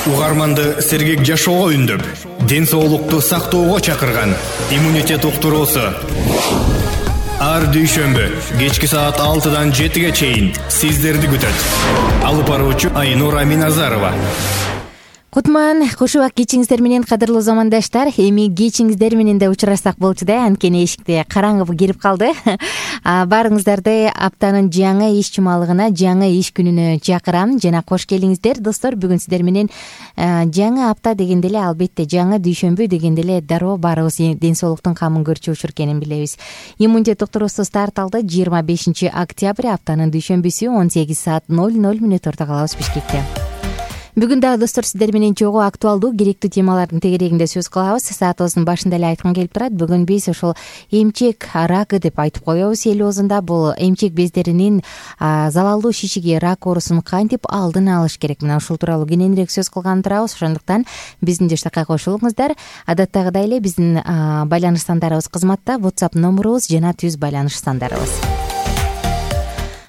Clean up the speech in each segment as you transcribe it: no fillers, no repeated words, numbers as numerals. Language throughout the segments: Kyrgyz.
Угарманды сергек жашоого үндөп, ден соолукту сактоого чакырган иммунитет уктуруусу. Ар дүйшөмбү кечки саат 6-дан 7-ге чейин сиздерди күтөт. Алып баруучу Айнура Миназарова. Кутман, кушубак кечиңиздер менен кадырлуу замандаштар. Эми кечиңиздер менен да учурашсак болчу да, анткени эшикте караңгы кирип калды. Баарыңыздарды аптанын жаңы иш жумалыгына, жаңы иш күнүнө чакырам жана кош келиңиздер достор. Бүгүн сиздер менен жаңы апта дегенде эле албетте жаңы дүйшөмбү дегенде эле дароо баарыбыз ден соолуктун камын көрчү учур экенин билебиз. Иммунитет уктуруусу старт алды 25 октябрь аптанын дүйшөмбүсү 18 саат 00 мүнөт орто калабыз Бишкекте. Бүгүн дагы достор сиздер менен чогуу актуалдуу керектүү темалардын тегерегинде сөз кылабыз. Саатыбыздын башында эле айткым келип турат. Бүгүн биз ошол эмчек рагы деп айтып коебуз эл оозунда. Бул эмчек бездеринин залалдуу шишиги, рак оорусун кантип алдын алыш керек? Мына ушул тууралуу кененирээк сөз кылган турабыз. Ошондуктан биздин жаштакка кошулуңуздар. Адаттагыдай эле биздин байланыш сандарыбыз кызматта. WhatsApp номурубуз жана түз байланыш сандарыбыз.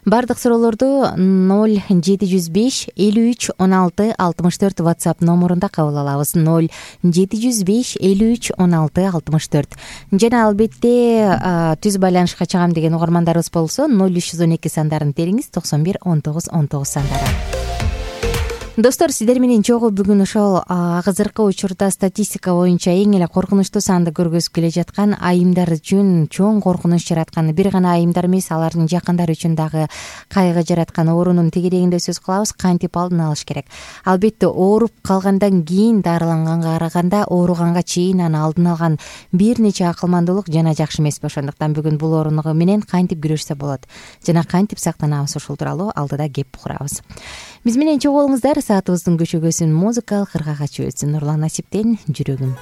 Бардык суроолорду 0705 53 16 64 WhatsApp номурунда кабыл алабыз. 0705 53 16 64. Жана албетте түз байланышка чыгам деген угармандарыбыз болсо 0312 сандарын териңиз 91 19 19 сандары. Достор, сиздер менен чогуу бүгүн ошол азыркы учурда статистика боюнча эң эле коркунучтуу санды көргөзүп келе жаткан айымдар үчүн чоң коркунуч жараткан, бир гана айымдар эмес, алардын жакындары үчүн дагы кайгы жараткан оорунун тегерегинде сөз кылабыз. Кантип алдын алыш керек? Албетте ооруп калгандан кийин дарыланганга караганда ооруганга чейин аны алдын алган бир нече акылмандуулук жана жакшы эмеспи? Ошондуктан бүгүн бул оорунугу менен кантип күрөшсө болот жана кантип сактанабыз, ушул тууралуу алдыда кеп курабыз. Биз менен чогуу болуңуздар. Саатыбыздын көчөгөсүн музыкалык ыргага чөбөтсүн. Нурлан Насиптен жүрөгүм.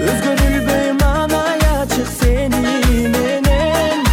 Өзгөрүлбөй мамай ачык сени менен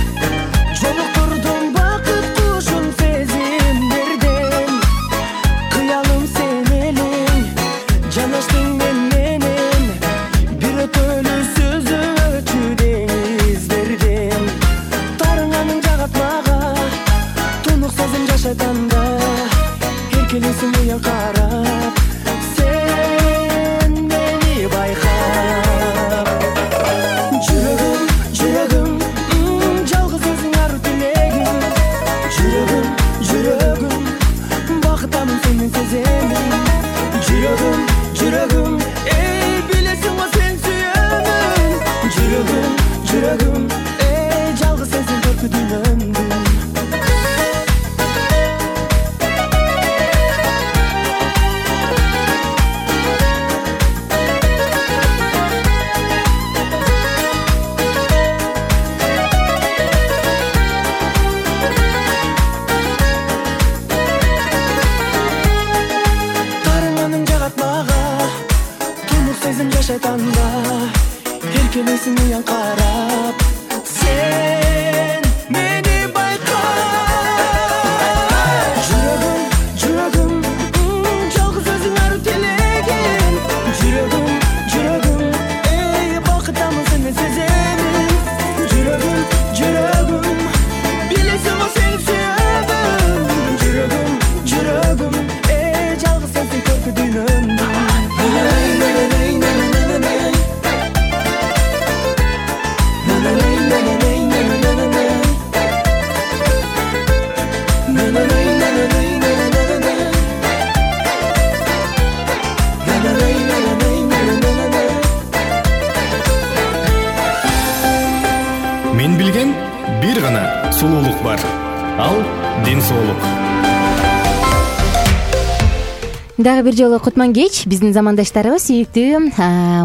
таңда эркелесиң уян карап, сен мени байка. Жүрөгүм жалгыз өзүң арып телеген, жүрөгүм эй бакыттамын сени сеземин. Жүрөгүм билесиң о сени сүйөмүн. Жүрөгүм эй жалгыз сенсиң көркү дүйнөмдү. Мен билген бир гана сулуулук бар. Ал ден соолук. Дагы бир жолу кутман кеч биздин замандаштарыбыз. Сүйүктүү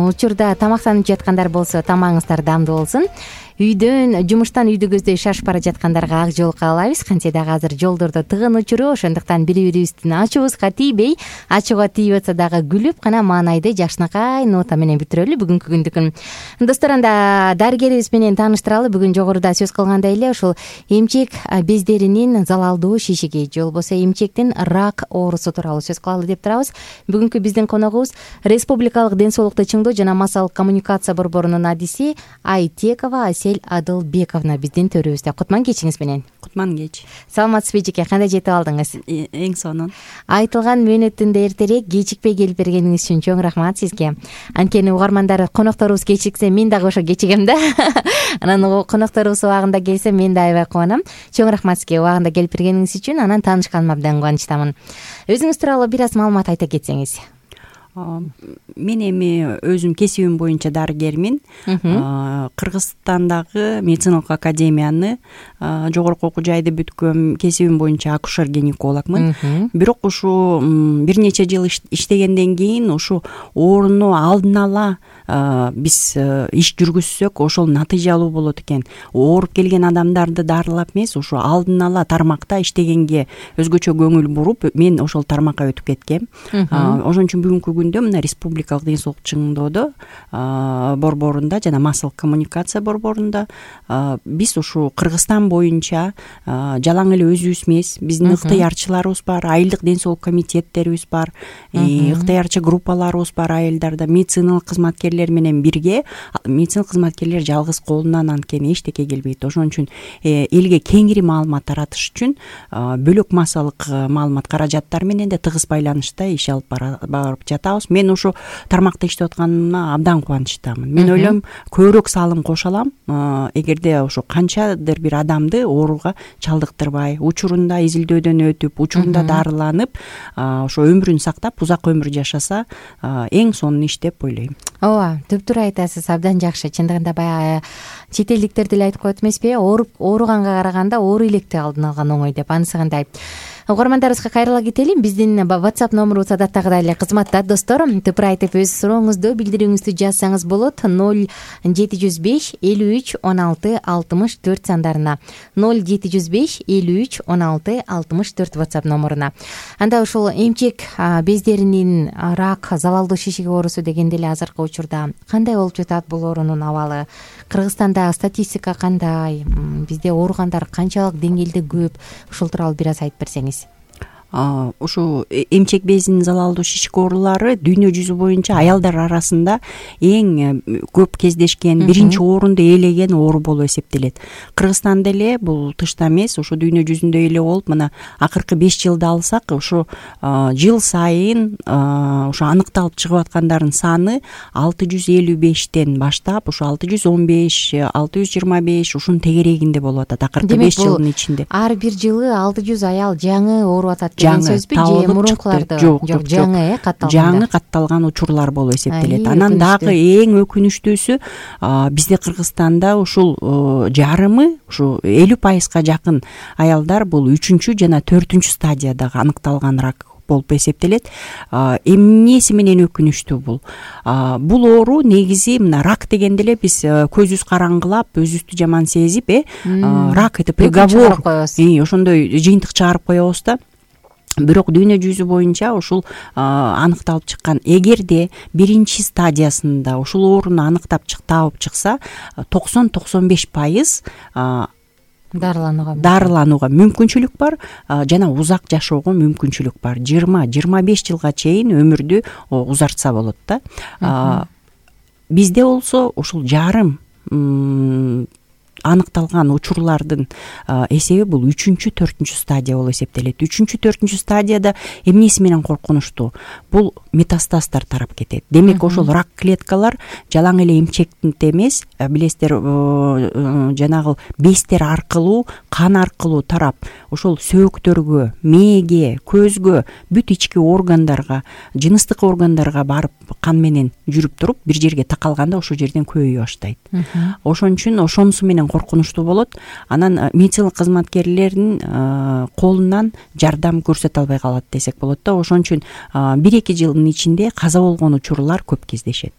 учурда тамактанып жаткандар болсо тамагыңыздар даамдуу болсун. Жумуштан үйдү көздөй шашып бара жаткандарга ак жол каалайбыз. Кантсе дагы азыр жолдордо тыгын учуру, ошондуктан бири-бирибиздин ачуубузга тийбей, ачууга тийип атса дагы күлүп гана маанайды жакшынакай нота менен бүтүрөлү бүгүнкү күндүкүн. Достор, анда дарыгерибиз менен тааныштыралы. Бүгүн жогоруда сөз кылгандай эле ушул эмчек бездеринин залалдуу шишиги же болбосо эмчектин рак оорусу тууралуу сөз кылалы деп турабыз. Бүгүнкү биздин коногубуз Республикалык ден соолукту чыңдоо жана массалык коммуникация борборунун адиси Айтекова Асель-Адылбековна биздин төрүбүздө. Кутман кечиңиз менен. Кутман кеч. Саламатсызбы эжеке, кандай жетип алдыңыз? Эң сонун. Айтылган мөөнөттүндө эртерээк кечикпей келип бергениңиз үчүн чоң рахмат сизге. Анткени угармандар конокторубуз кечиксе мен дагы ошо кечигем да. Анан конокторубуз убагында келсе мен да аябай кубанам. Чоң рахмат сизге убагында келип бергениңиз үчүн. Анан таанышканыма абдан кубанычтамын. Өзүңүз тууралуу бир аз маалымат айта кетсеңиз. Мен эми өзүм кесибим боюнча дарыгермин. Кыргызстандагы медициналык академияны жогорку окуу жайды бүткөм. Кесибим боюнча акушер-гинекологмун. Бирок ушу бир нече жыл иштегенден кийин ушу ооруну алдын ала биз иш жүргүзсөк ошол натыйжалуу болот экен. Ооруп келген адамдарды дарылап эмес, ушу алдын ала тармакта иштегенге өзгөчө көңүл буруп, мен ошол тармакка өтүп кеткем. Ошон үчүн бүгүнкү күндө мына Республикалык ден соолук чыңдоодо борборунда жана массалык коммуникация борборунда биз ушу Кыргызстан боюнча жалаң эле өзүбүз эмес, биздин ыктыярчыларыбыз бар, айылдык ден соолук комитеттерибиз бар, ыктыярчы группаларыбыз бар айылдарда. Медициналык кызматкерлер менен бирге, медициналык кызматкерлер жалгыз колунан анткени эчтеке келбейт. Ошон үчүн элге кеңири маалымат таратыш үчүн бөлөк массалык маалымат каражаттары менен да тыгыз байланышта иш алып барып жатабыз. Мен ушу тармакта иштеп атканыма абдан кубанычтамын. Мен ойлойм, көбүрөөк салым кошо алам, эгерде ушу канчадыр бир адамды ооруга чалдыктырбай, учурунда изилдөөдөн өтүп, учурунда дарыланып, ошо өмүрүн сактап, узак өмүр жашаса, эң сонун иш деп ойлойм. Ооба, түптүр айтасыз, абдан жакшы. Чындыгында баягы чет элдиктер деле айтып коет эмеспи, ооруганга караганда оору электи алдын алган оңой деп. Анысы кандай? Угармандарыбызга кайрыла кетели. Биздин WhatsApp номерубуз адаттагыдай эле кызматта. Достор, тыпыр айтып өз сурооңузду, билдирүүңүздү жазсаңыз болот. 0705 53 16 64 сандарына. 0705 53 16 64 WhatsApp номеруна. Анда ушул эмчек бездеринин рак, залалдуу шишиги оорусу дегенде эле азыркы учурда кандай болуп жатат бул оорунун абалы? Кыргызстанда статистика кандай? Бизде ооругандар канчалык деңгээлде көп? Ушул тууралуу бир аз айтып берсеңиз. Ушу эмчек безинин залалдуу шишик оорулары дүйнө жүзү боюнча аялдар арасында эң көп кездешкен, биринчи орунду ээлеген оору болуп эсептелет. Кыргызстанда эле бул тышта эмес, ушу дүйнө жүзүндө эле болуп, мына акыркы 5 жылды алсак, ушу жыл сайын ушу аныкталып чыгып аткандардын саны 655тен баштап, ушу 615, 625 ушунун тегерегинде болуп атат акыркы 5 жылдын ичинде. Ар бир жылы 600 аял жаңы ооруп атат. Жаңы мурункуларды жок жаңы катталган. Жаңы катталган учурлар болуп эсептелет. Анан дагы эң өкүнүчтүүсү бизде Кыргызстанда ушул жарымы, ушу 50% жакын аялдар бул 3 жана 4 стадиядагы аныкталган рак болуп эсептелет. Эмнеси менен өкүнүчтүү бул? Бул оору негизи мына рак дегенде эле биз көзүбүз караңгылап, өзүбүздү жаман сезип, рак это приговор, ошондой жыйынтык чыгарып коебуз да. бирок дүйнө жүзү боюнча ушул аныкталып чыккан, эгерде биринчи стадиясында ушул ооруну аныктап таап чыкса 90-95% дарыланууга мүмкүнчүлүк бар жана узак жашоого мүмкүнчүлүк бар. 20-25 жылга чейин өмүрдү узартса болот да. Бизде болсо ушул жарым аныкталган учурлардын эсеби бул 3-4 стадия болуп эсептелет. 3-4 стадияда эмнеси менен коркунучтуу? Бул метастаздар тарап кетет. Демек ошол рак клеткалар жалаң эле эмчекте эмес, билесиздер, жанагы бездер аркылуу, кан аркылуу тарап, ошол сөөктөргө, мээге, көзгө, бүт ички органдарга, жыныстык органдарга барып кан менен жүрүп туруп, бир жерге такалганда ошол жерден көбөйө баштайт. Ошон үчүн ошонусу менен коркунучтуу болот. Анан медицина кызматкерлеринин колунан жардам көрсөтө албай калат десек болот да. Ошон үчүн 1-2 жылдын ичинде каза болгон учурлар көп кездешет.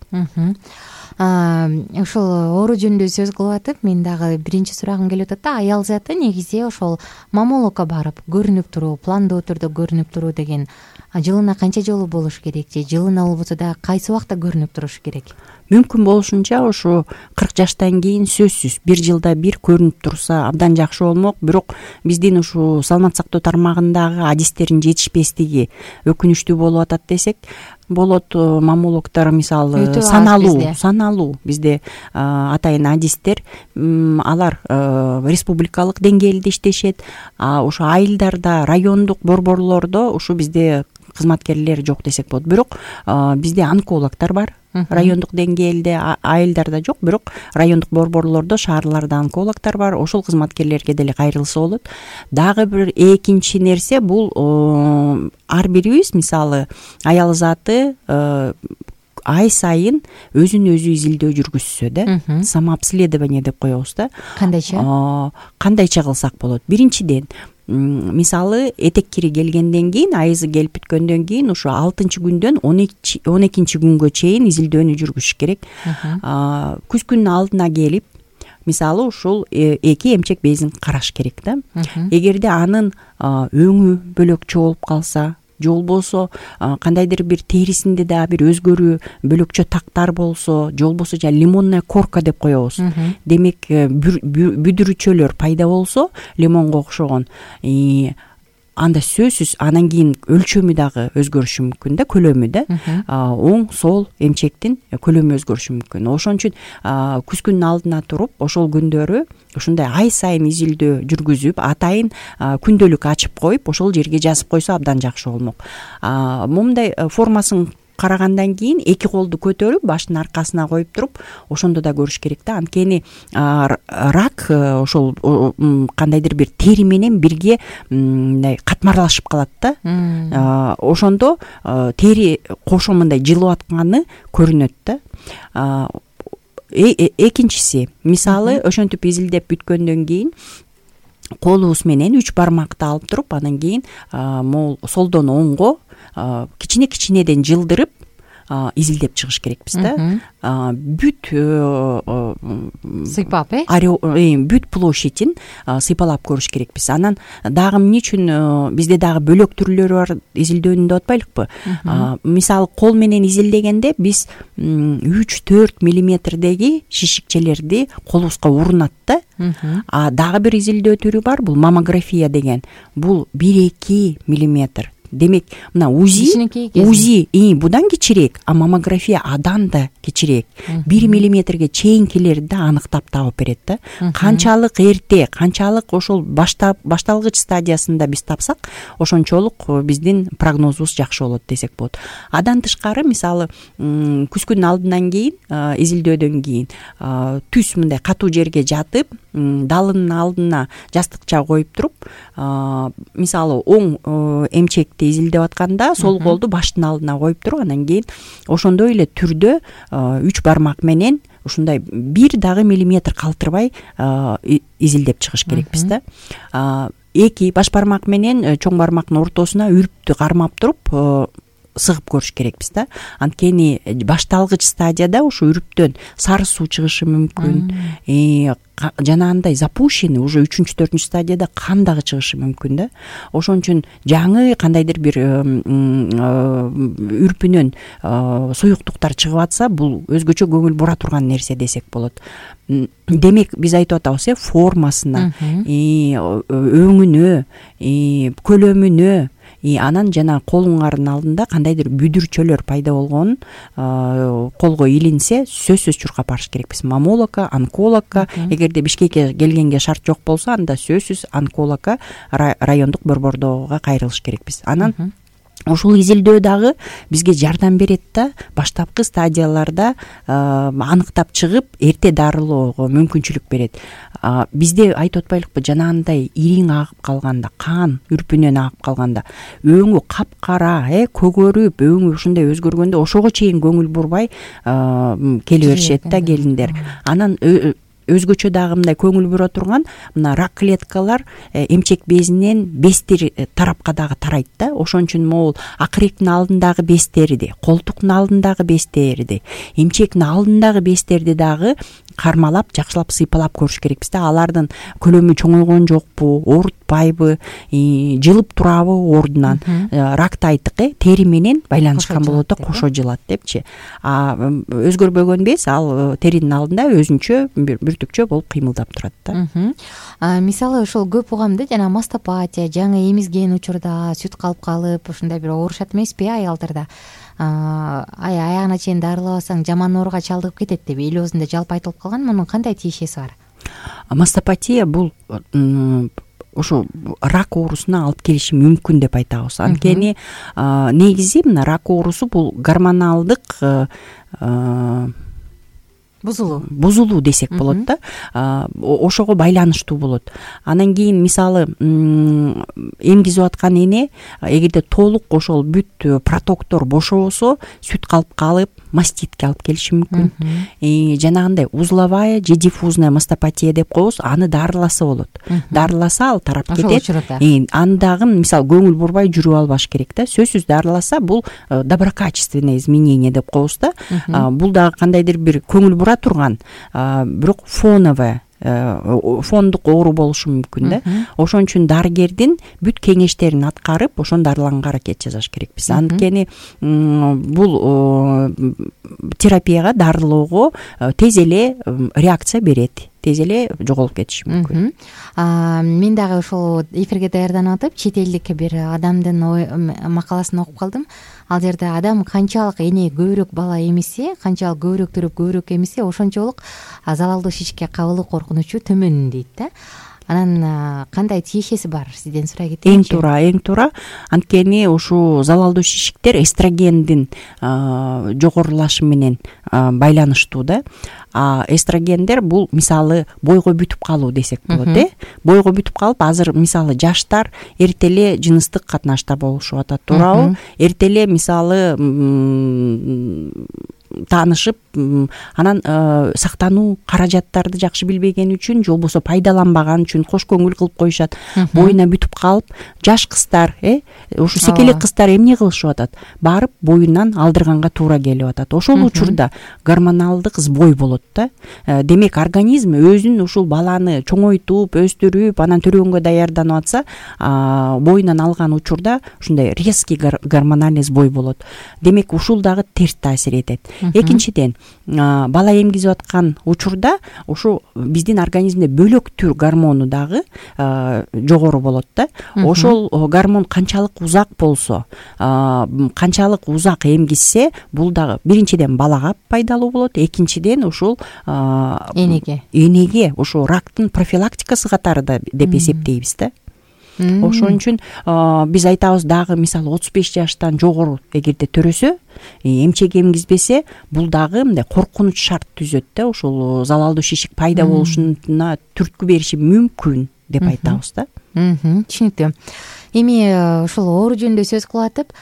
Ошол оору жөнүндө сөз кылып атып, мен дагы биринчи сурагым келип атат да. Аял заты негизи ошол маммологко барып көрүнүп туруу, пландуу түрдө көрүнүп туруу деген жылына канча жолу болуш керек же жылына болбосо да кайсы убакта көрүнүп туруш керек? Мүмкүн болушунча ошо 40 жаштан кийин сөзсүз 1 жылда бир көрүнүп турса абдан жакшы болмок. Бирок биздин ушу саламат сактоо тармагындагы адистердин жетишпестиги өкүнүчтүү болуп атат десек болот. Маммологдор мисалы саналуу бизде атайын адистер, алар республикалык деңгээлде иштешет. Ошо айылдарда, райондук борборлордо ушу бизде кызматкерлер жок десек болот. Бирок бизде онкологдор бар. Райондук деңгээлде, айылдарда жок, бирок райондук борборлордо, шаарларда онкологдор бар. Ошол кызматкерлерге деле кайрылса болот. Дагы бир экинчи нерсе бул ар бирибиз мисалы аял заты ай сайын өзүн өзү изилдөө жүргүзсө да, самообследование деп коебуз да. Кандайча кылсак болот? Биринчиден, мисалы этек кири келгенден кийин, айызы келип бүткөндөн кийин ушу 6-күндөн 12 күнгө чейин изилдөөнү жүргүзүш керек. Күзгүнүн алдына келип, мисалы ушул 2 эмчек безин караш керек да. Эгерде анын өңү бөлөкчө болуп калса, же болбосо кандайдыр бир терисинде да бир өзгөрүү, бөлөкчө тактар болсо, же болбосо лимонная корка деп коебуз. Демек бүдүрүчөлөр пайда болсо, лимонго окшогон, анда сөзсүз анан кийин өлчөмү дагы өзгөрүшү мүмкүн да, көлөмү да. Оң, сол эмчектин көлөмү өзгөрүшү мүмкүн. Ошон үчүн күзгүнүн алдына туруп, ошол күндөрү ушундай ай сайын изилдөө жүргүзүп, атайын күндөлүк ачып коюп, ошол жерге жазып койсо абдан жакшы болмок. Момундай формасын карагандан кийин 2 колду көтөрүп, баштын аркасына коюп туруп, ошондо да көрүш керек да. Анткени рак ошол кандайдыр бир тери менен бирге мындай катмарлашып калат да. Ошондо тери кошо мындай жылып атканы көрүнөт да. Экинчиси, мисалы ошентип изилдеп бүткөндөн кийин колубуз менен 3 бармакты алып туруп, анан кийин солдон оңго кичине-кичинеден жылдырып изилдеп чыгыш керекпиз да. Бүт сыйпап, бүт площадьин сыйпалап көрүш керекпиз. Анан дагы эмне үчүн бизде дагы бөлөк түрлөрү бар изилдөөнүн деп атпайлыкпы? Мисалы кол менен изилдегенде биз 3-4 миллиметрдеги шишикчелерди колубузга урунат да. Дагы бир изилдөө түрү бар, бул маммография деген. Бул 1-2 миллиметр. Демек, мына УЗИ будан кичирээк, а маммография адан да кичирээк. 1 миллиметрге чейинкилерди аныктап таап берет да. Канчалык эрте, канчалык ошол башталгыч стадиясында биз тапсак, ошончолук биздин прогнозубуз жакшы болот десек болот. Адан тышкары, мисалы, күзгүнүн алдынан кийин, изилдөөдөн кийин түз мындай катуу жерге жатып, далынын алдына жастыкча коюп туруп, мисалы, оң эмчек изилдеп атканда сол колду баштын алдына коюп туруп, анан кийин ошондой эле түрдө 3 бармак менен ушундай 1 дагы миллиметр калтырбай изилдеп чыгыш керекпиз да. 2 баш бармак менен чоң бармактын ортосуна үрптү кармап туруп сыгып көрүш керекпиз да. Анткени башталгыч стадияда ушу үрүптөн сары суу чыгышы мүмкүн, жанагындай запущенный уже 3-4 стадияда кан дагы чыгышы мүмкүн да. Ошон үчүн жаңы кандайдыр бир үрпүнөн суюктуктар чыгып атса, бул өзгөчө көңүл бура турган нерсе десек болот. Демек биз айтып атабыз, формасына, өңүнө, көлөмүнө, анан жана колуңардын алдында кандайдыр бүдүрчөлөр пайда болгонун колго илинсе, сөзсүз чуркап барыш керекпиз. Маммологко, онкологко, эгерде Бишкекке келгенге шарт жок болсо, анда сөзсүз онкологко, райондук борбордоого кайрылыш керекпиз. Анан ушул изилдөө дагы бизге жардам берет да, баштапкы стадияларда аныктап чыгып, эрте дарылоого мүмкүнчүлүк берет. Бизде айтып атпайлыкпы, жанагындай ириң агып калганда, кан үрпүнөн агып калганда, өңү капкара, көгөрүп, өңү ушундай өзгөргөндө ошого чейин көңүл бурбай келе беришет да келиндер. Анан өзгөчө дагы мындай көңүл бура турган мына рак клеткалар эмчек безинен бестер тарапка дагы тарайт да. Ошон үчүн могул акыректин алдындагы безтерди, колтуктун алдындагы безтерди, эмчектин алдындагы безтерди дагы кармалап, жакшылап сыйпалап көрүш керекпиз да. Алардын көлөмү чоңойгон жокпу, оорутпайбы, жылып турабы ордунан. Ракты айттык, тери менен байланышкан болот да, кошо жылат депчи. Өзгөрбөгөн без ал теринин алдында өзүнчө бүртүкчө болуп кыймылдап турат да. Мисалы ошол көп угамда жана мастопатия, жаңы эмизген учурда сүт калып калып, ушундай бир оорушат эмеспи аялдарда? Аягына чейин дарылабасаң жаман ооруга чалдыгып кетет деп эл оозунда жалпы айтылып калган. Мунун кандай тиешеси бар? Мастопатия бул ошо рак оорусуна алып келиши мүмкүн деп айтабыз. Анткени негизи мына рак оорусу бул гормоналдык бузулуу десек болот да. Ошого байланыштуу болот. Анан кийин мисалы эмгизип аткан эне эгерде толук ошол бүт протоктор бошобосо, сүт калып калып, маститке алып келиши мүмкүн. Жанагындай узловая же диффузная мастопатия деп коебуз, аны дарыласа болот. Дарыласа ал тарап кетет. Аны дагы мисалы көңүл бурбай жүрүп албаш керек да. Сөзсүз дарыласа бул доброкачественное изменение деп коебуз да. Бул дагы кандайдыр бир көңүл бура турган, бирок фондук оору болушу мүмкүн да. Ошон үчүн дарыгердин бүт кеңештерин аткарып, ошону дарыланганга аракет жасаш керекпиз. Анткени бул терапияга, дарылоого тез эле реакция берет, тез эле жоголуп кетиши мүмкүн. Мен дагы ошол эфирге даярданып атып, чет элдик бир адамдын макаласын окуп калдым. Ал жерде адам канчалык эне көбүрөөк бала эмисе, канчалык көбүрөөк төрөп көбүрөөк эмисе, ошончолук залалдуу шишикке кабылуу коркунучу төмөн дейт да. Анан кандай тиешеси бар, сизден сурай кетейинчи? Эң туура. Анткени ушул залалдуу шишиктер эстрогендин жогорулашы менен байланыштуу да. Эстрогендер бул мисалы бойго бүтүп калуу десек болот, бойго бүтүп калып, азыр мисалы жаштар эртеле жыныстык катнашта болушуп атат, туурабы? Эртеле мисалы таанышып, анан сактануу каражаттарды жакшы билбеген үчүн же болбосо пайдаланбаган үчүн кош көңүл кылып коюшат. Боюна бүтүп калып, жаш кыздар, ушу секелек кыздар эмне кылышып атат? Барып боюнан алдырганга туура келип атат. Ошол учурда гормоналдык сбой болот да. Демек организм өзүн ушул баланы чоңойтуп, өстүрүп, анан төрөгөнгө даярданып атса, боюнан алган учурда ушундай резкий гормональный сбой болот. Демек ушул дагы терс таасир этет. Экинчиден, бала эмгизип аткан учурда ушу биздин организмде бөлөк түр гормону дагы жогору болот да. Ошол гормон канчалык узак болсо, канчалык узак эмгизсе, бул дагы биринчиден балага пайдалуу болот, экинчиден ушул энеге ушу рактын профилактикасы катары да деп эсептейбиз да. Ошон үчүн биз айтабыз дагы мисалы 35 жаштан жогору эгерде төрөсө, эмчек эмгизбесе, бул дагы мындай коркунуч шарт түзөт да, ушул залалдуу шишик пайда болушуна түрткү бериши мүмкүн деп айтабыз да. Түшүнүктүү. Эми ушул оору жөнүндө сөз кылып атып,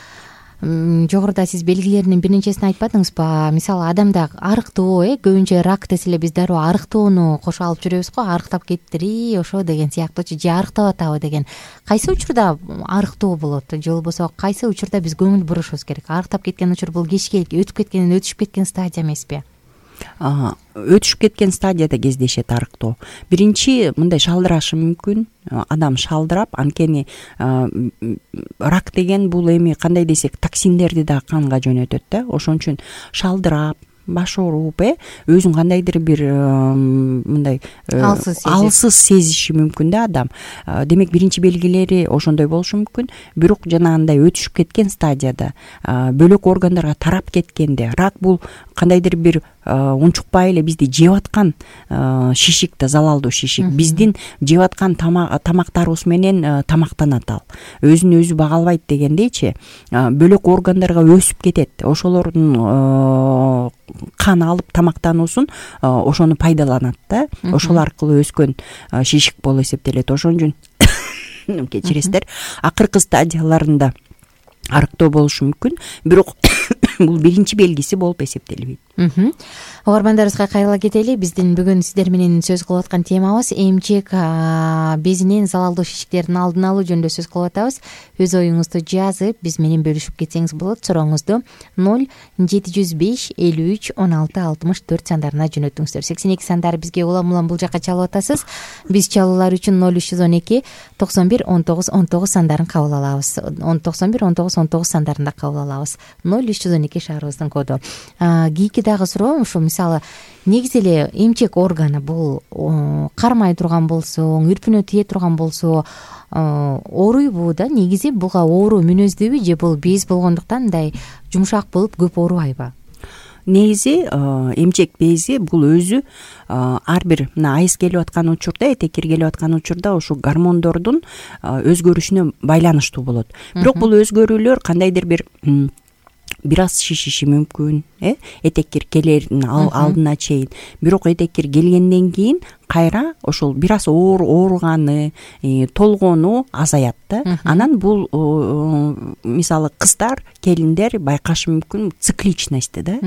жогоруда сиз белгилеринин бир нечесин айтпадыңызбы? Мисалы адамда арыктоо, көбүнчө рак десе эле биз дароо арыктоону кошо алып жүрөбүз го, арыктап кеттири ошо деген сыяктуучу, же арыктап атабы деген. Кайсы учурда арыктоо болот, же болбосо кайсы учурда биз көңүл бурушубуз керек? Арыктап кеткен учур бул кечке өтүп кеткенден өтүшүп кеткен стадия эмеспи? Өтүшүп кеткен стадияда кездешет арыктоо. Биринчи мындай шалдырашы мүмкүн. Адам шалдырап, анткени рак деген бул эми кандай десек токсиндерди да канга жөнөтөт да. Ошон үчүн шалдырап, баш ооруп, өзүн кандайдыр бир мындай алсыз сезиши мүмкүн да адам. Демек биринчи белгилери ошондой болушу мүмкүн. Бирок жанагындай өтүшүп кеткен стадияда, бөлөк органдарга тарап кеткенде, рак бул кандайдыр бир унчукпай эле бизди жеп аткан шишик да, залалдуу шишик. Биздин жеп аткан тамактарыбыз менен тамактанат ал. Өзүн өзү бага албайт дегендейчи, бөлөк органдарга өсүп кетет. Ошолордун кан алып тамактануусун ошону пайдаланат да. Ошол аркылуу өскөн шишик болуп эсептелет. Ошон үчүн кечиресиздер, акыркы стадияларында арыктоо болушу мүмкүн, бирок бул биринчи белгиси болуп эсептелбейт. Угармандарыбызга кайрыла кетели. Биздин бүгүн сиздер менен сөз кылып аткан темабыз эмчек безинин залалдуу шишиктердин алдын алуу жөнүндө сөз кылып атабыз. Өз оюңузду жазып биз менен бөлүшүп кетсеңиз болот. Сурооңузду 0-705-53-16-64 сандарына жөнөтүңүздөр. 82 сандары бизге улам бул жакка чалып атасыз. Биз чалуулар үчүн 0312-91-19-19 сандарын кабыл алабыз. 91-19-19 сандарында кабыл алабыз. 0312 шаарыбыздын коду. Кийинки дагы суроо ушул, мисалы, негизи эле эмчек органы бул кармай турган болсо, үрпүнө тие турган болсо ооруйбу да? Негизи буга оору мүнөздүүбү, же бул без болгондуктан мындай жумшак болуп көп оорубайбы? Негизи эмчек бези бул өзү ар бир мына айыз келип аткан учурда, этеккир келип аткан учурда ошо гормондордун өзгөрүшүнө байланыштуу болот. Бирок бул өзгөрүүлөр кандайдыр бир аз шишиши мүмкүн, этеккир келердин алдына чейин. Бирок этеккир келгенден кийин кайра ошол бир аз ооруганы, толгону азаят да. Анан бул мисалы кыздар, келиндер байкашы мүмкүн цикличностьти да.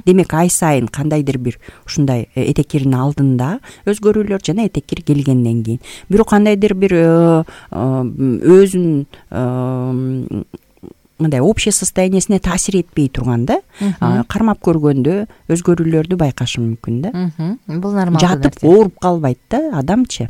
Демек ай сайын кандайдыр бир ушундай этеккирдин алдында өзгөрүүлөр жана этеккир келгенден кийин. Бирок кандайдыр бир өзүн мындай общий состояниясине таасир этпей турган да, кармап көргөндө өзгөрүүлөрдү байкашы мүмкүн да. Бул нормалдуу. Жатып ооруп калбайт да адамчы.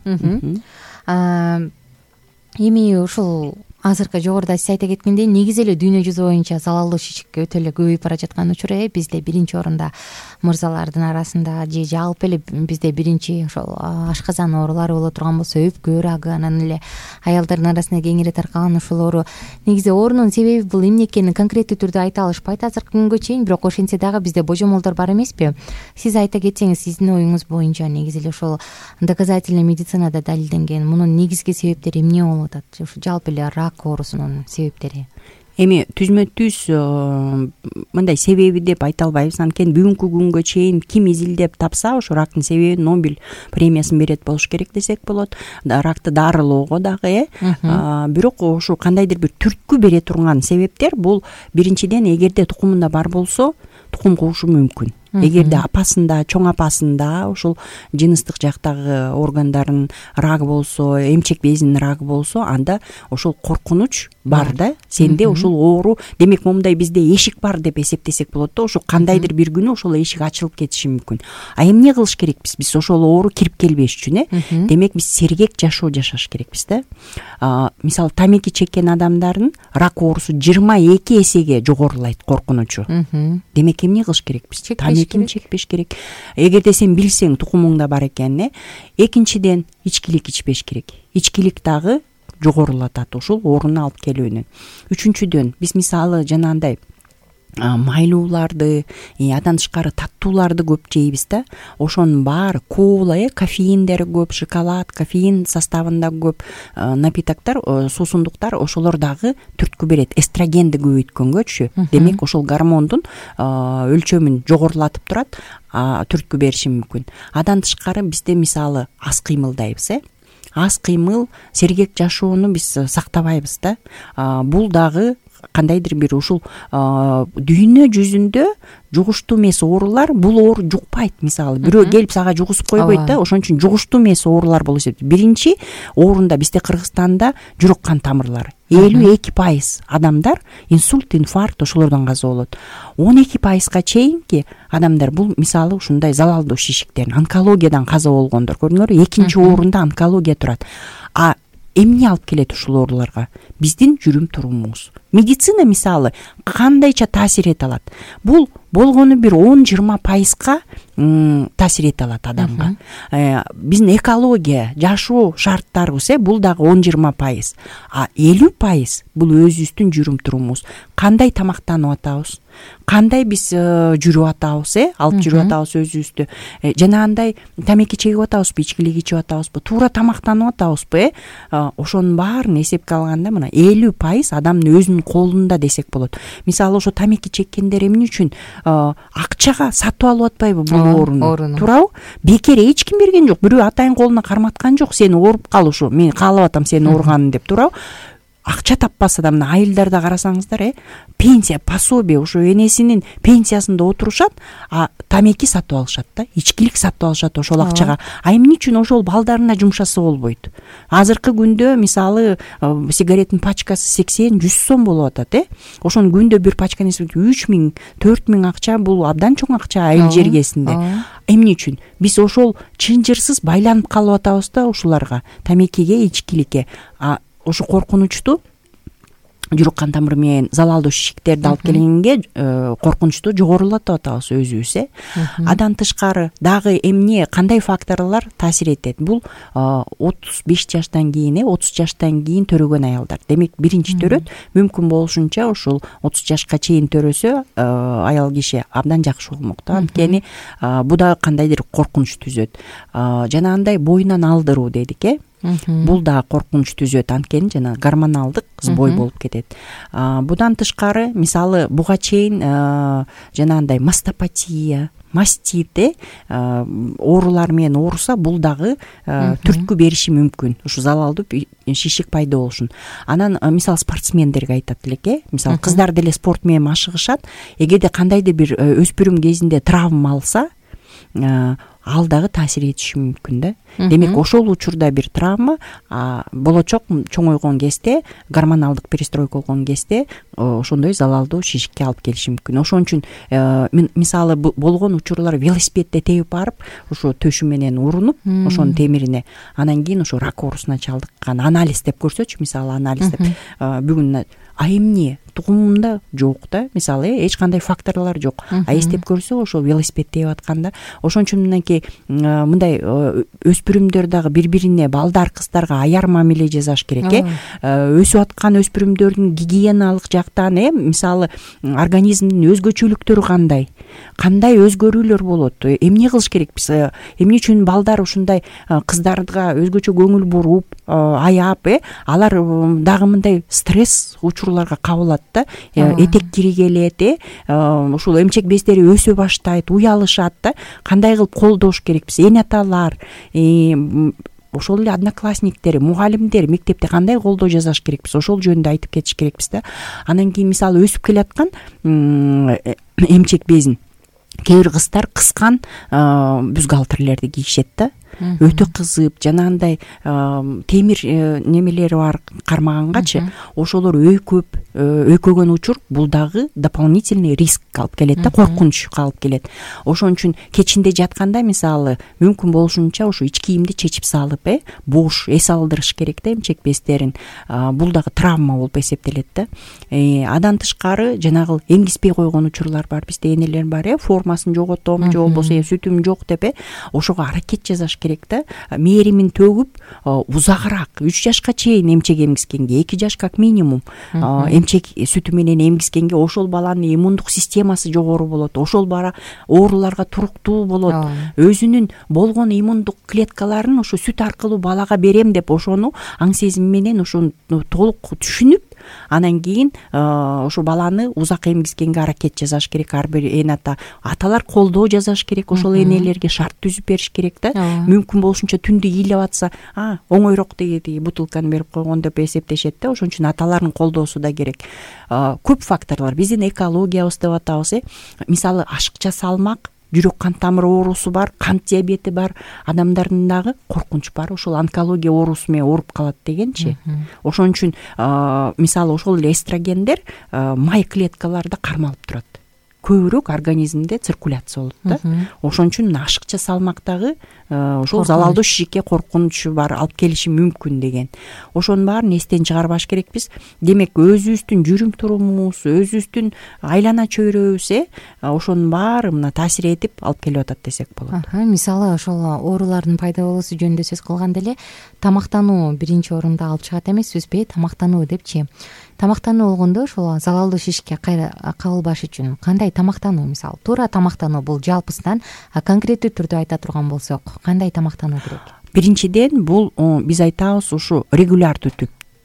Эми ушул азыркы жогоруда сиз айта кеткендей, негизи эле дүйнө жүзү боюнча залалдуу шишик өтө эле көбөйүп бара жаткан учур. Бизде биринчи орунда мырзалардын арасында, же жалпы эле бизде биринчи ошол ашказан оорулары боло турган болсо, өпкө рагы, анан эле аялдардын арасында кеңири таркалган ушул оору. Негизи оорунун себеби бул эмне экенин конкреттүү түрдө айта алышпайт азыркы күнгө чейин, бирок ошентсе дагы бизде божомолдор бар эмеспи? Сиз айта кетсеңиз, сиздин оюңуз боюнча негизи эле ошол доказательный медицинада далилденген мунун негизги себептери эмне болуп атат? Ушу жалпы эле рак оорусунун себептери. Эми түзмө-түз мындай себеби деп айта албайбыз. Анткени бүгүнкү күнгө чейин ким изилдеп тапса, ошо рактын себебин Нобель премиясын берет болуш керек десек болот. Ракты дарылоого дагы, бирок ошо кандайдыр бир түрткү бере турган себептер бул биринчиден эгерде тукумунда бар болсо, тукум куушу мүмкүн. Эгерде апасында, чоң апасында ушул жыныстык жактагы органдардын рагы болсо, эмчек безинин рагы болсо, анда ошол коркунуч бар да. Сенде ушул оору, демек момундай бизде эшик бар деп эсептесек болот да. Ошо кандайдыр бир күнү ошол эшик ачылып кетиши мүмкүн. А эмне кылыш керекпиз биз ошол оору кирип келбеш үчүн? Демек биз сергек жашоо жашаш керекпиз да. Мисалы, тамеки чеккен адамдардын рак оорусу 22 эсеге жогорулайт коркунучу. Демек эмне кылыш керекпиз? Тамекини чекпеш керек. Эгерде сен билсең тукумуңда бар экенин, экинчиден ичкилик ичпеш керек. Ичкилик дагы жогорулатат ушул ооруну алып келүүнү. Үчүнчүдөн биз мисалы жанагындай майлууларды, андан тышкары таттууларды көп жейбиз да. Ошонун баары кола, кофеиндери көп, шоколад, кофеин составында көп напитоктор, суусундуктар, ошолор дагы түрткү берет. Эстрогенди көбөйткөнгөчү. Демек ошол гормондун өлчөмүн жогорулатып турат, түрткү бериши мүмкүн. Андан тышкары бизде мисалы аз кыймылдайбыз, аз кыймыл, сергек жашоону биз сактабайбыз да. Бул дагы кандайдыр бир ушул дүйнө жүзүндө жугуштуу эмес оорулар, бул оору жукпайт. Мисалы бирөө келип сага жугузуп койбойт да, ошон үчүн жугуштуу эмес оорулар болуп эсептелет. Биринчи орунда бизде Кыргызстанда жүрөк кан тамырлары 52% адамдар инсульт, инфаркт ошолордон каза болот. 12%га чейинки адамдар бул мисалы ушундай залалдуу шишиктерин, онкологиядан каза болгондор. Көрдүңөрбү, экинчи орунда онкология турат. А эмне алып келет ушул ооруларга? Биздин жүрүм турумубуз. Медицина мисалы кандайча таасир эте алат? Бул болгону бир 10-20%га таасир эте алат адамга. Биздин экология, жашоо шарттарыбыз бул дагы 10-20%. А 50% бул өзүбүздүн жүрүм турумубуз. Кандай тамактанып атабыз? Кандай биз жүрүп атабыз, алып жүрүп атабыз өзүбүздү? Жанагындай тамеки чегип атабызбы, ичкилик ичип атабызбы, туура тамактанып атабызбы? Ошонун баарын эсепке алганда мына 50% адамдын өзүнүн колунда десек болот. Мисалы ошо тамеки чеккендер эмне үчүн акчага сатып алып атпайбы бул ооруну? Туурабы? Бекер эч ким берген жок. Бирөө атайын колуна карматкан жок. Сени ооруп кал ушу. Мен каалап атам сени ооруганын деп, туурабы? Акча таппаса да мына айылдарда карасаңыздар, пенсия, пособие, ушу энесинин пенсиясында отурушат, а тамеки сатып алышат да, ичкилик сатып алышат ошол акчага. А эмне үчүн ошол балдарына жумшаса болбойт? Азыркы күндө мисалы сигареттин пачкасы 80-100 сом болуп атат, Ошону күндө бир пачканы 3000, 4000 акча, бул абдан чоң акча айыл жергесинде. Эмне үчүн? Биз ошол чынжырсыз байланып калып атабыз да ушуларга, тамекиге, ичкиликке. Ошо коркунучту жүрөк кан тамыры менен залалдуу шишиктерди алып келгенге коркунучту жогорулатып атабыз өзүбүз. Андан тышкары дагы эмне, кандай факторлор таасир этет? Бул 35 жаштан кийин, 30 жаштан кийин төрөгөн аялдар. Демек, биринчи төрөт, мүмкүн болушунча ушул 30 жашка чейин төрөсө аял киши абдан жакшы болмок да. Анткени бул дагы кандайдыр коркунуч түзөт. Жанагындай боюнан алдыруу дедик, бул да коркунуч түзөт, анткени жана гормоналдык сбой болуп кетет. Будан тышкары, мисалы буга чейин жанагындай мастопатия, мастит оорулар менен ооруса, бул дагы түрткү бериши мүмкүн, ушу залалдуу шишик пайда болушун. Анан мисалы спортсмендерге айтат элек, мисалы кыздар деле спорт менен машыгышат, эгерде кандайдыр бир өспүрүм кезинде травма алса, ал дагы таасир этиши мүмкүн да. Демек, ошол учурда бир травма болочок чоңойгон кезде, гормоналдык перестройка болгон кезде ошондой залалдуу шишикке алып келиши мүмкүн. Ошон үчүн мисалы болгон учурлар велосипедде тебип барып, ошо төшү менен урунуп, ошонун темирине, анан кийин ошо рак оорусуна чалдыккан. Анализ деп көрсөчү, мисалы анализ деп. Бүгүн эмне тугумунда жок да, мисалы эч кандай факторлор жок. Эстеп көрсө, ошол велосипед тебип атканда, ошон үчүн мындай өспүрүмдөр дагы бири-бирине, балдар, кыздарга аяр мамиле жасаш керек. Өсүп аткан өспүрүмдөрдүн гигиеналык жактан, мисалы организмдин өзгөчөлүктөрү кандай өзгөрүүлөр болот, эмне кылыш керекпиз, эмне үчүн балдар ушундай кыздарга өзгөчө көңүл буруп, аяп, алар дагы мындай стресс учурларга кабылат да, этек кири келет, ушул эмчек бездери өсө баштайт, уялышат да, кандай кылып колдош керекпиз, эне аталар, ошол эле одноклассниктер, мугалимдер мектепте кандай колдоо жасаш керекпиз, ошол жөнүндө айтып кетиш керекпиз да. Анан кийин мисалы өсүп келаткан эмчек безин кээ бир кыздар кыскан бюстгальтерлерди кийишет да. Өтө кызып, жанагындай темир немелери бар кармагангачы, ошолор өйкөгөн учур, бул дагы дополнительный риск алып келет да, коркунучка алып келет. Ошон үчүн кечинде жатканда мисалы мүмкүн болушунча ушу ич кийимди чечип салып, бош эс алдырыш керек да эмчек бездерин. Бул дагы травма болуп эсептелет да. Андан тышкары жанагы эмгизбей койгон учурлар бар, бизде энелер бар, формасын жоготом, же болбосо сүтүм жок деп, ошого аракет жасаш керек да. Мээримин төгүп узагыраак 3 жашка чейин эмчек эмгизгенге, 2 жаш как минимум эмчек сүтү менен эмгизгенге ошол баланын иммундук системасы жогору болот, ошол бала ооруларга туруктуу болот. Өзүнүн болгон иммундук клеткаларын ошо сүт аркылуу балага берем деп ошону аң сезим менен ошону толук түшүнүп, анан кийин ошо баланы узак эмгизгенге аракет жасаш керек. Ар бир эн аталар колдоо жасаш керек, ошол энелерге шарт түзүп бериш керек да. Мүмкүн болушунча түндү ыйлап атса, оңойрок деги бутылканы берип койгон деп эсептешет да. Ошон үчүн аталардын колдоосу да керек. Көп факторлор, биздин экологиябыз деп атабыз. Мисалы ашыкча салмак, жүрөк кан тамыр оорусу бар, кант диабети бар адамдардын дагы коркунуч бар. Ошол онкология оорусу менен ооруп калат дегенчи. Ошон үчүн мисалы ошол эле эстрогендер май клеткаларда кармалып турат. Көбүрөөк организмде циркуляция болот да. Ошон үчүн ашыкча салмактагы ошол залалдуу шишикке коркунучу бар алып келиши мүмкүн деген. Ошонун баарын эстен чыгарбаш керекпиз. Демек өзүбүздүн жүрүм турумубуз, өзүбүздүн айлана чөйрөбүз ошонун баары мына таасир этип алып келип атат десек болот. Мисалы ошол оорулардын пайда болуусу жөнүндө сөз кылганда эле тамактануу биринчи орунда алып чыгат эмеспизби? Тамактануу депчи. Тамактануу болгондо ошол залалдуу шишикке кабылбаш үчүн кандай тамактануу? Мисалы туура тамактануу бул жалпысынан, конкреттүү түрдө айта турган болсок кандай тамактануу керек? Биринчиден бул биз айтабыз ушу регулярдуу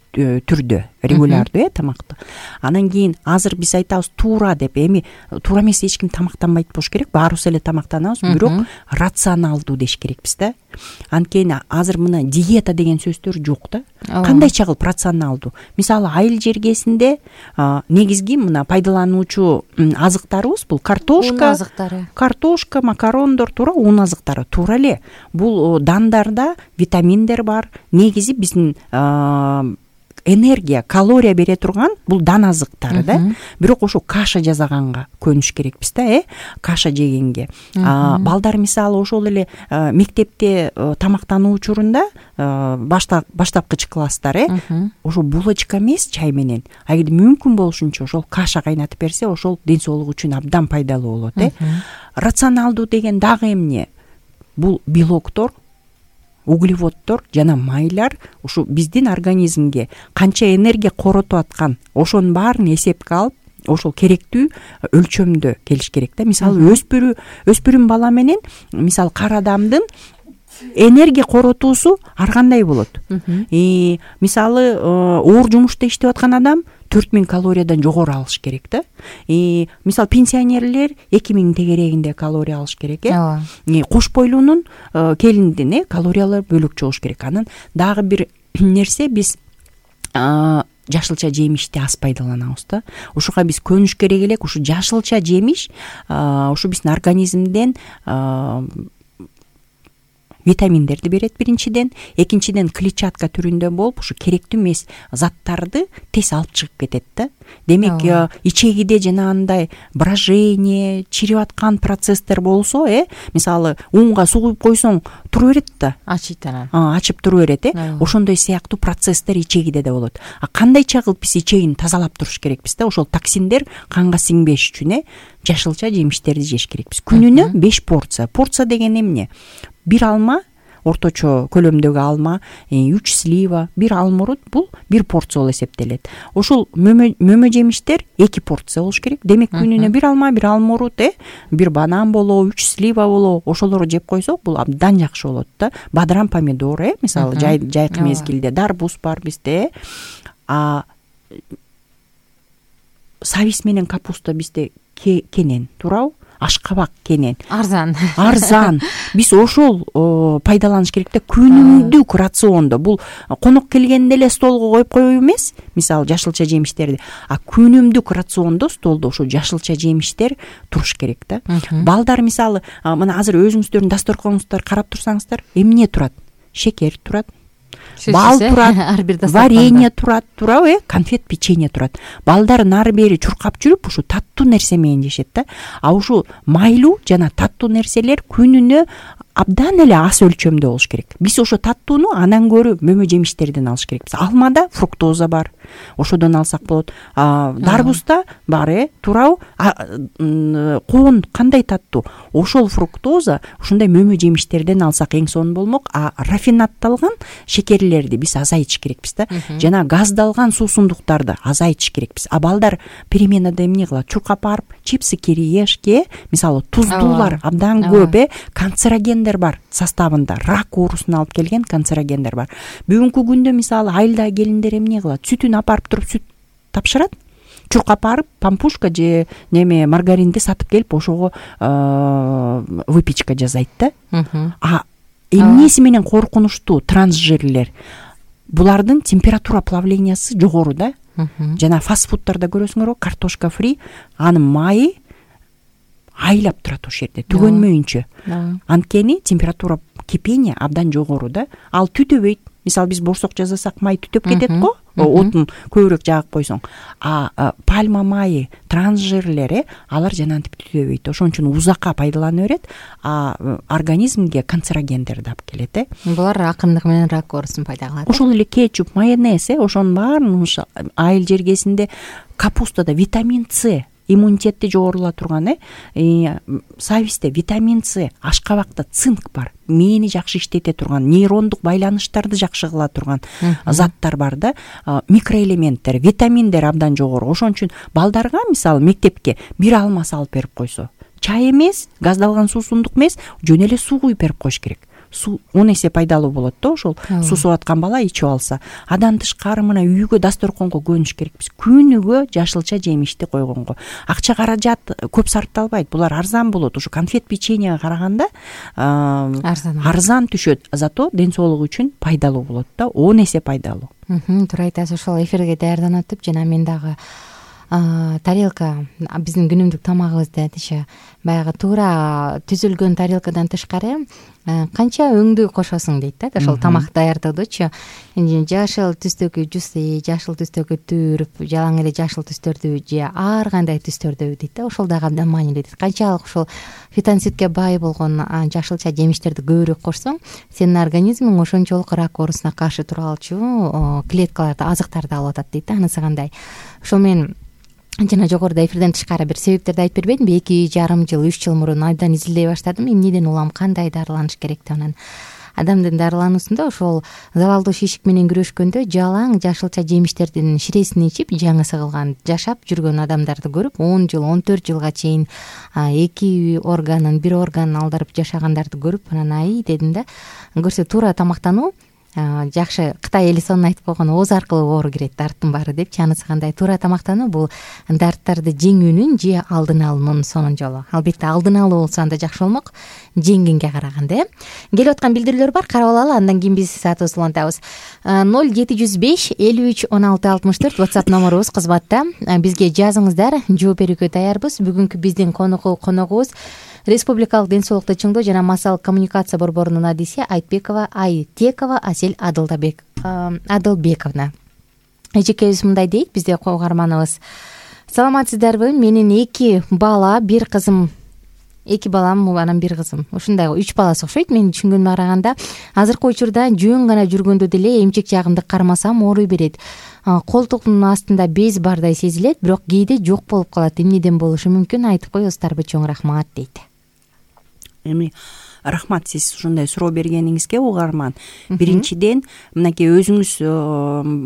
түрдө, регулярдуу тамакты. Анан кийин азыр биз айтабыз туура деп. Эми туура эмес эч ким тамактанбайт болуш керек. Баарыбыз эле тамактанабыз, бирок рационалдуу деш керекпиз да. Анткени азыр мына диета деген сөздөр жок да. Кандайча кылып рационалдуу? Мисалы айыл жергесинде негизги мына пайдалануучу азыктарыбыз бул картошка, макарондор, туура ун азыктары. Туура эле. Бул дандарда витаминдер бар. Негизи биздин энергия, калория бере турган бул дан азыктары да. Бирок ошо каша жасаганга көнүш керекпиз да, каша жегенге. Балдар мисалы ошол эле мектепте тамактануу учурунда баштапкыч класстар ошо булочка эмес чай менен, эгер мүмкүн болушунча ошол каша кайнатып берсе, ошол ден соолук үчүн абдан пайдалуу болот. Рационалдуу деген дагы эмне? Бул белоктор, углеводдор жана майлар ушу биздин организмге канча энергия коротуп аткан, ошонун баарын эсепке алып, ошол керектүү өлчөмдө келиш керек да. Мисалы өспүрүм бала менен мисалы кар адамдын энергия коротуусу ар кандай болот. Мисалы оор жумушта иштеп аткан адам 4000 калориядан жогору алыш керек да. Мисалы пенсионерлер 2000 тегерегинде калория алыш керек. Кош бойлуунун келиндин калориялары бөлөкчө болуш керек. Анан дагы бир нерсе, биз жашылча жемишти аз пайдаланабыз да. Ушуга биз көнүш керек элек. Ушу жашылча жемиш ушу биздин организмден витаминдерди берет биринчиден, экинчиден клетчатка түрүндө болуп, ушу керектүү эмес заттарды тез алып чыгып кетет да. Демек ичегиде жанагындай брожение, чирип аткан процесстер болсо, мисалы унга суу куюп койсоң тура берет да. Ачып тура берет, ошондой сыяктуу процесстер ичегиде да болот. Кандайча кылып биз ичегин тазалап туруш керекпиз да. Ошол токсиндер канга сиңбеш үчүн жашылча жемиштерди жеш керекпиз. Күнүнө 5 порция. Порция деген эмне? 1 алма, орточо көлөмдөгү алма, 3 слива, 1 алмурут, бул 1 порция болуп эсептелет. Ошол мөмө жемиштер 2 порция болуш керек. Демек күнүнө 1 алма, 1 алмурут, 1 банан болобу, 3 слива болобу, ошолорду жеп койсок, бул абдан жакшы болот да. Бадыран помидор, мисалы жайкы мезгилде дарбуз бар бизде. Сабиз менен капуста бизде кенен, туурабы? Ашкабак кенен. Арзан. Биз ошол пайдаланыш керек да, күнүмдүк рациондо. Бул конок келгенде эле столго коюп коюу эмес, мисалы жашылча жемиштерди, күнүмдүк рациондо столдо ошо жашылча жемиштер туруш керек да. Балдар мисалы мына азыр өзүңүздөрдүн дасторконуңуздар карап турсаңыздар, эмне турат? Шекер турат, бал турат, варенье турат, туурабы? Конфет, печенье турат. Балдарын ары бери чуркап жүрүп, ушу таттуу нерсе менен жешет да. Ушу майлуу жана таттуу нерселер күнүнө абдан эле аз өлчөмдө болуш керек. Биз ошо таттууну анан көрү мөмө жемиштерден алыш керекпиз. Алмада фруктоза бар, ошодон алсак болот. Дарбузда бар, туурабы? Коон кандай таттуу? Ошол фруктоза ушундай мөмө жемиштерден алсак эң сонун болмок. Рафинатталган шекерлерди биз азайтыш керекпиз да. Жана газдалган суусундуктарды азайтыш керекпиз. Балдар переменада эмне кылат? Чуркап барып, чипсы, кириешки, мисалы туздуулар абдан көп, канцерогендер бар составында, рак оорусуна алып келген канцерогендер бар. Бүгүнкү күндө мисалы айылдагы келиндер эмне кылат? Сүтүн апарып туруп сүт тапшырат, чуркап барып пампушка же неме маргаринди сатып келип ошого выпечка жасайт да. Эмнеси менен коркунучтуу трансжирлер? Булардын температура плавлениясы жогору да. Жана фастфудтарда көрөсүңөрбү, картошка фри, анын майы айлап турат ошол жерде түгөнмөйүнчө. Анткени температура кипения абдан жогору да. Ал түтөбөйт. Мисалы биз борсок жасасак май түтөп кетет го, отун көбүрөөк жагып койсоң. Пальма майы, трансжирлер, алар жанагынтип түтөбөйт. Ошон үчүн узакка пайдалана берет, организмге канцерогендерди алып келет. Булар акырындык менен рак оорусун пайда кылат. Ошол эле кетчуп, майонез, ошонун баарын айыл жергесинде, капустада витамин С, иммунитетти жогорула турган, сабизде витамин С, ашкабакта цинк бар, мээни жакшы иштете турган, нейрондук байланыштарды жакшы кыла турган заттар бар да, микроэлементтер, витаминдер абдан жогору. Ошон үчүн балдарга мисалы мектепке бир алма салып берип койсо, чай эмес, газдалган суусундук эмес, жөн эле суу куюп берип коюш керек. Суу 10 эсе пайдалуу болот да ошол. Суусуп аткан бала ичип алса. Адан тышкары мына үйгө дасторконго көнүш керекпиз. Күнүгө жашылча жемишти койгонго. Акча каражат көп сарпталбайт. Булар арзан болот. Ушу конфет печеньеге караганда арзан түшөт. Зато ден соолук үчүн пайдалуу болот да. 10 эсе пайдалуу. Туура айтасыз. Ошол эфирге даярданып атып, жана мен дагы тарелка, биздин күнүмдүк тамагыбызда тише баягы туура түзүлгөн тарелкадан тышкары канча өңдүү кошосуң дейт да, ошол тамак даярдоодочу. Жашыл түстөгү жуси, жашыл түстөгү түрп, жалаң эле жашыл түстөрдү же ар кандай түстөрдү дейт да, ошол дагы абдан маанилүү дейт. Канчалык ошол фитонцидке бай болгон жашылча жемиштерди көбүрөөк кошсоң, сенин организмиң ошончолук рак оорусуна каршы тура алчу клеткаларды, азыктарды алып атат дейт да. Анысы кандай? Ошол мен жана жогоруда эфирден тышкары бир себептерди айтып бербедимби? 2,5 жыл, 3 жыл мурун абдан изилдей баштадым. Эмнеден улам, кандай дарыланыш керектигин. Анан адамдын дарылануусунда ошол залалдуу шишик менен күрөшкөндө жалаң жашылча жемиштердин ширесин ичип, жаңысы кылган жашап жүргөн адамдарды көрүп, 10 жыл, 14 жылга чейин 2 органын, 1 органын алдырып жашагандарды көрүп, анан ай дедим да, көрсө туура тамактануу жакшы. Кытай эли сонун айтып койгон, ооз аркылуу оору кирет, дарттын баары депчи. Анысы кандай? Туура тамактануу бул дарттарды жеңүүнүн же алдын алуунун сонун жолу. Албетте алдын алуу болсо анда жакшы болмок, жеңгенге караганда. Келип аткан билдирүүлөр бар, карап алалы, андан кийин биз саатыбызды улантабыз. 0705 53 16 64 WhatsApp номерубуз кызматта. Бизге жазыңыздар, жооп берүүгө даярбыз. Бүгүнкү биздин коногубуз Республикалык ден соолукту чыңдоо жана массалык коммуникация борборунун адиси Айтбекова Айтекова Асель Адылбековна. Эжекебиз мындай дейт, бизде угарманыбыз. Саламатсыздарбы? Менин 2 бала, 1 кызым. 2 балам, анан 1 кызым. Ушундай 3 баласы окшойт. Мен түшүнгөнүмө караганда азыркы учурда жөн гана жүргөндө деле эмчек жагымды кармасам ооруй берет. Колтуктун астында без бардай сезилет, бирок кээде жок болуп калат. Эмнеден болушу мүмкүн? Айтып коесуздарбы? Чоң рахмат дейт. Эми рахмат сиз ушундай суроо бергениңизге, угарман. Биринчиден, мынакей өзүңүз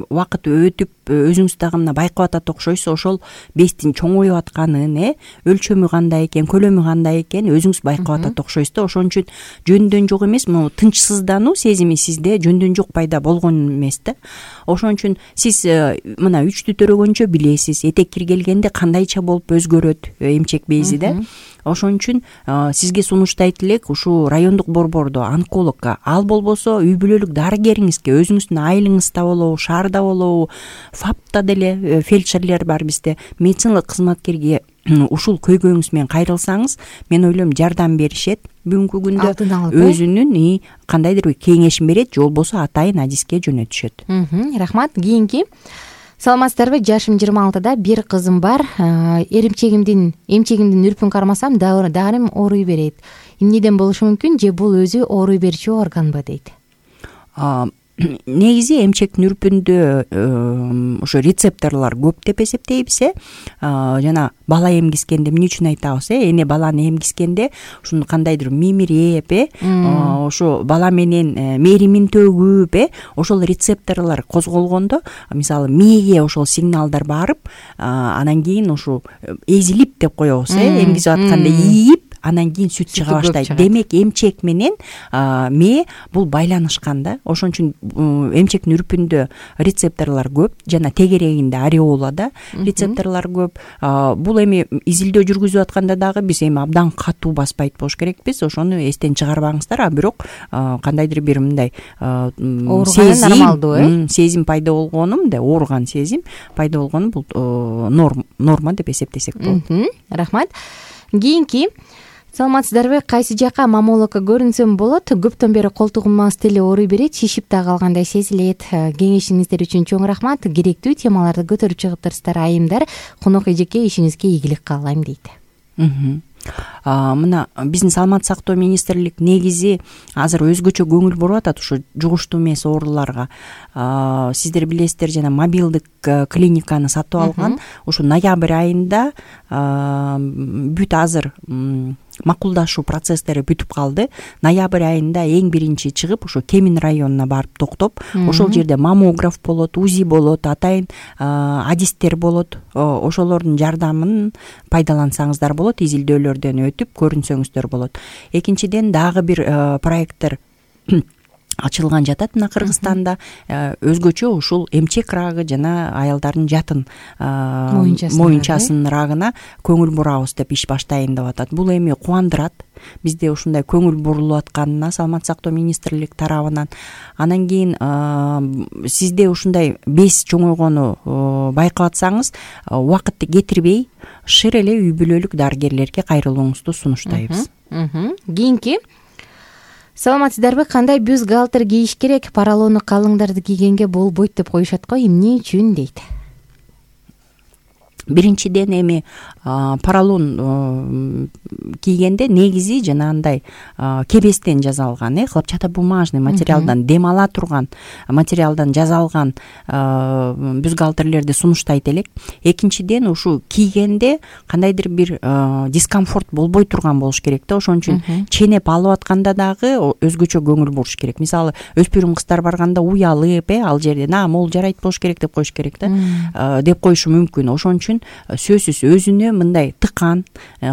убакыт өтүп, өзүңүз дагы мына байкап атат окшойсуз, ошол бездин чоңоюп атканын, өлчөмү кандай экен, көлөмү кандай экен өзүңүз байкап атат окшойсуз да. Ошон үчүн жөндөн жок эмес, могу тынчсыздануу сезими сизде жөндөн жок пайда болгон эмес да. Ошон үчүн сиз мына 3-тү төрөгөнчө билесиз, этек киргелгенде кандайча болуп өзгөрөт эмчек бези да. Ошон үчүн сизге сунуштайт элек ушул райондук борбордо онкологко, ал болбосо үй бүлөлүк дарыгериңизге, өзүңүздүн айылыңызда болобу, шаарда болобу, ФАПта деле фельдшерлер бар бизде, медициналык кызматкерге ушул көйгөйүңүз менен кайрылсаңыз, мен ойлойм жардам беришет. Бүгүнкү күндө өзүнүн кандайдыр бир кеңешин берет, же болбосо атайын адиске жөнөтүшөт. Рахмат. Кийинки. Саламатсыздарбы? Жашым 26-да, 1 кызым бар. Эмчегимдин үрпүн кармасам дарым ооруй берет. Эмнеден болушу мүмкүн? Же бул өзү ооруй берчү органбы дейт. Негизи эмчектин үрпүндө ошо рецепторлор көп деп эсептейбиз. Жана бала эмгискенде эмне үчүн айтабыз? Эне баланы эмгискенде ушуну кандайдыр мимиреп, ошо бала менен мээримин төгүп, ошол рецепторлор козголгондо, мисалы мээге ошол сигналдар барып, анан кийин ушу эзилип деп коебуз, эмгизип атканда ийип, анан кийин сүт чыга көп баштайт. чыгат. Демек эмчек менен мээ бул байланышкан да. Ошон үчүн эмчектин үрпүндө рецепторлор көп, жана тегерегинде ареолада рецепторлор көп. Бул эми изилдөө жүргүзүп атканда дагы биз эми абдан катуу баспайт болуш керекпиз. Ошону эстен чыгарбаңыздар. Бирок кандайдыр бир мындай сезим пайда болгону, мындай ооруган сезим пайда болгону бул норма деп эсептесек болот. Рахмат. Кийинки, саламатсыздарбы? Кайсы жакка маммологко көрүнсөм болот? Көптөн бери колтугум мас деле ооруй берет, шишип да калгандай сезилет. Кеңешиңиздер үчүн чоң рахмат. Керектүү темаларды көтөрүп чыгыптырсыздар, айымдар. Конок эжеке, ишиңизге ийгилик каалайм дейт. Мына биздин саламаттык сактоо министрлик негизи азыр өзгөчө көңүл буруп атат ушу жугуштуу эмес ооруларга. Сиздер билесиздер, жана мобилдик клиниканы сатып алган. Ушу ноябрь айында бүт азыр макулдашуу процесстери бүтүп калды. Ноябрь айында эң биринчи чыгып ушу Кемин районуна барып токтоп, ошол жерде маммограф болот, УЗИ болот, атайын адистер болот. Ошолордун жардамын пайдалансаңыздар болот, изилдөөлөрдөн өтүп көрүнсөңүздөр болот. Экинчиден дагы бир проекттер ачылган жатат мына Кыргызстанда. Өзгөчө ушул эмчек рагы жана аялдардын жатын моюнчасынын рагына көңүл бурабыз деп иш баштайын деп атат. Бул эми кубандырат бизде ушундай көңүл бурулуп атканына саламаттык сактоо министрлик тарабынан. Анан кийин сизде ушундай бес чоңойгону байкап атсаңыз, убакытты кетирбей шыр эле үй бүлөлүк дарыгерлерге кайрылууңузду сунуштайбыз. Кийинки, саламатсыздарбы? Кандай бюстгальтер кийиш керек? Поролону калыңдарды кийгенге болбойт деп коюшат го, эмне үчүн дейт. Биринчиден эми поролон кийгенде негизи жанагындай кебестен жасалган, хлопчатобумажный материалдан, дем ала турган материалдан жасалган бюстгальтерлерди сунуштайт элек. Экинчиден ушу кийгенде кандайдыр бир дискомфорт болбой турган болуш керек да. Ошон үчүн ченеп алып атканда дагы өзгөчө көңүл буруш керек. Мисалы өспүрүм кыздар барганда уялып, ал жерден могул жарайт болуш керек деп коюш керек да, деп коюшу мүмкүн. Ошон үчүн сөзсүз өзүнө мындай тыкан,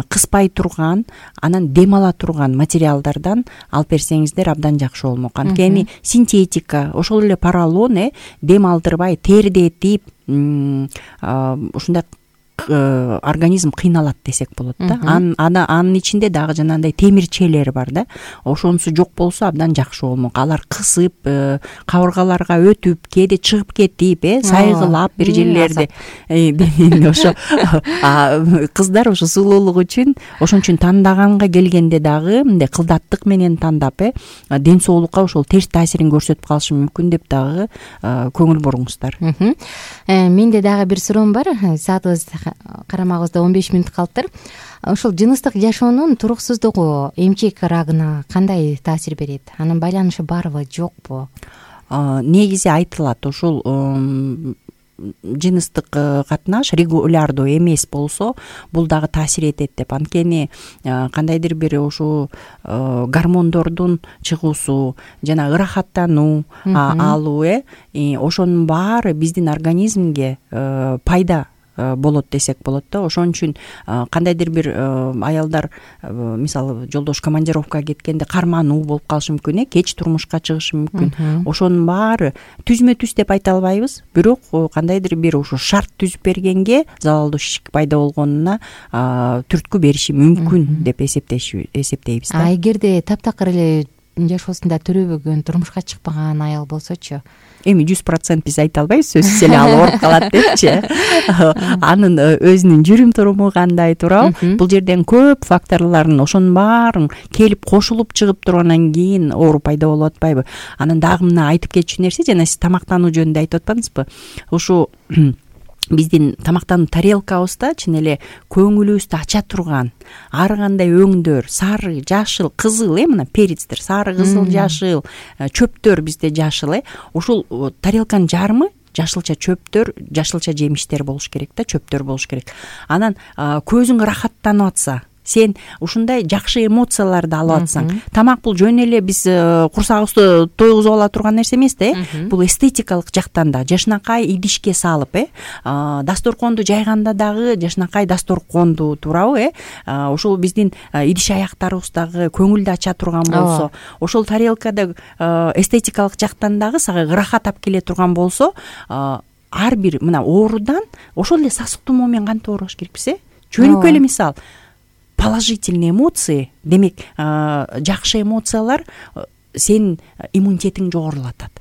кыспай турган, анан дем ала турган материалдардан алып берсеңиздер абдан жакшы болмок. Анткени синтетика, ошол эле поролон дем алдырбай терде этип ушундай организм кыйналат десек болот да. Анын ичинде дагы жанагындай темирчелер бар да. Ошонусу жок болсо абдан жакшы болмок. Алар кысып, кабыргаларга өтүп, кээде чыгып кетип, сайгылап бир жерлерди. Ошо кыздар ошо сулуулук үчүн, ошон үчүн тандаганга келгенде дагы мындай кылдаттык менен тандап, ден соолукка ошол терс таасирин көрсөтүп калышы мүмкүн деп дагы көңүл буруңуздар. Менде дагы бир суроом бар. Саатыбыз карамагыбызда 15 мүнөт калыптыр. Ошол жыныстык жашоонун туруксуздугу эмчек рагына кандай таасир берет? Анын байланышы барбы, жокпу? Негизи айтылат, ушул жыныстык катнаш регулярдуу эмес болсо бул дагы таасир этет деп. Анткени кандайдыр бир ушу гормондордун чыгуусу жана ырахаттануу алуу, ошонун баары биздин организмге пайда болот десек болот да. Ошон үчүн кандайдыр бир аялдар мисалы жолдош командировкага кеткенде кармануу болуп калышы мүмкүн, кеч турмушка чыгышы мүмкүн. Ошонун баары түзмө түз деп айта албайбыз, бирок кандайдыр бир ушу шарт түзүп бергенге залалдуу шишик пайда болгонуна түрткү бериши мүмкүн деп эсептейбиз да. Эгерде таптакыр эле жашоосунда төрөбөгөн, турмушка чыкпаган аял болсочу? Эми 100% биз айта албайбыз, сөзсүз эле ал ооруп калат депчи. Анын өзүнүн жүрүм туруму кандай туурабы? Бул жерден көп факторлордун ошонун баарын келип кошулуп чыгып тургандан кийин оору пайда болуп атпайбы? Анан дагы мына айтып кетчү нерсе, жана сиз тамактануу жөнүндө айтып атпадыңызбы? Ушу биздин тамактануу тарелкабызда чын эле көңүлүбүздү ача турган ар кандай өңдөр, сары, жашыл, кызыл, мына перецтер, сары, кызыл, жашыл, чөптөр бизде жашыл, ушул тарелканын жарымы жашылча чөптөр, жашылча жемиштер болуш керек да, чөптөр болуш керек. Анан көзүң ырахаттанып атса, сен ушундай жакшы эмоцияларды алып атсаң, тамак бул жөн эле биз курсагыбызды тойгузуп ала турган нерсе эмес да, бул эстетикалык жактан да жашынакай идишке салып, дасторконду жайганда дагы жашынакай дасторконду, туурабы, ошол биздин идиш аяктарыбыз дагы көңүлдү ача турган болсо, ошол тарелкада эстетикалык жактан дагы сага ырахат алып келе турган болсо, ар бир мына оорудан ошол эле сасык тумоо менен кантип оорубаш керекпиз, жөнөкөй эле мисал положительный эмоции, демек жакшы эмоциялар сенин иммунитетиң жогорулатат.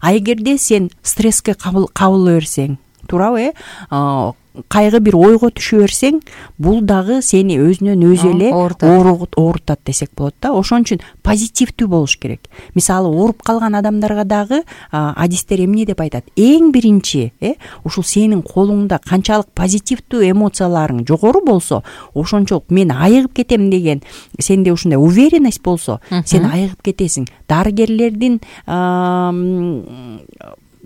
А эгерде сен стресске кабыла берсең, туурабы, кайгы бир ойго түшө берсең, бул дагы сени өзүнөн өзү эле оорутат десек болот да. Ошон үчүн позитивдүү болуш керек. Мисалы ооруп калган адамдарга дагы адистер эмне деп айтат? Эң биринчи, ушул сенин колуңда канчалык позитивдүү эмоцияларың жогору болсо, ошончолук мен айыгып кетем деген сенде ушундай уверенность болсо, сен айыгып кетесиң. Дарыгерлердин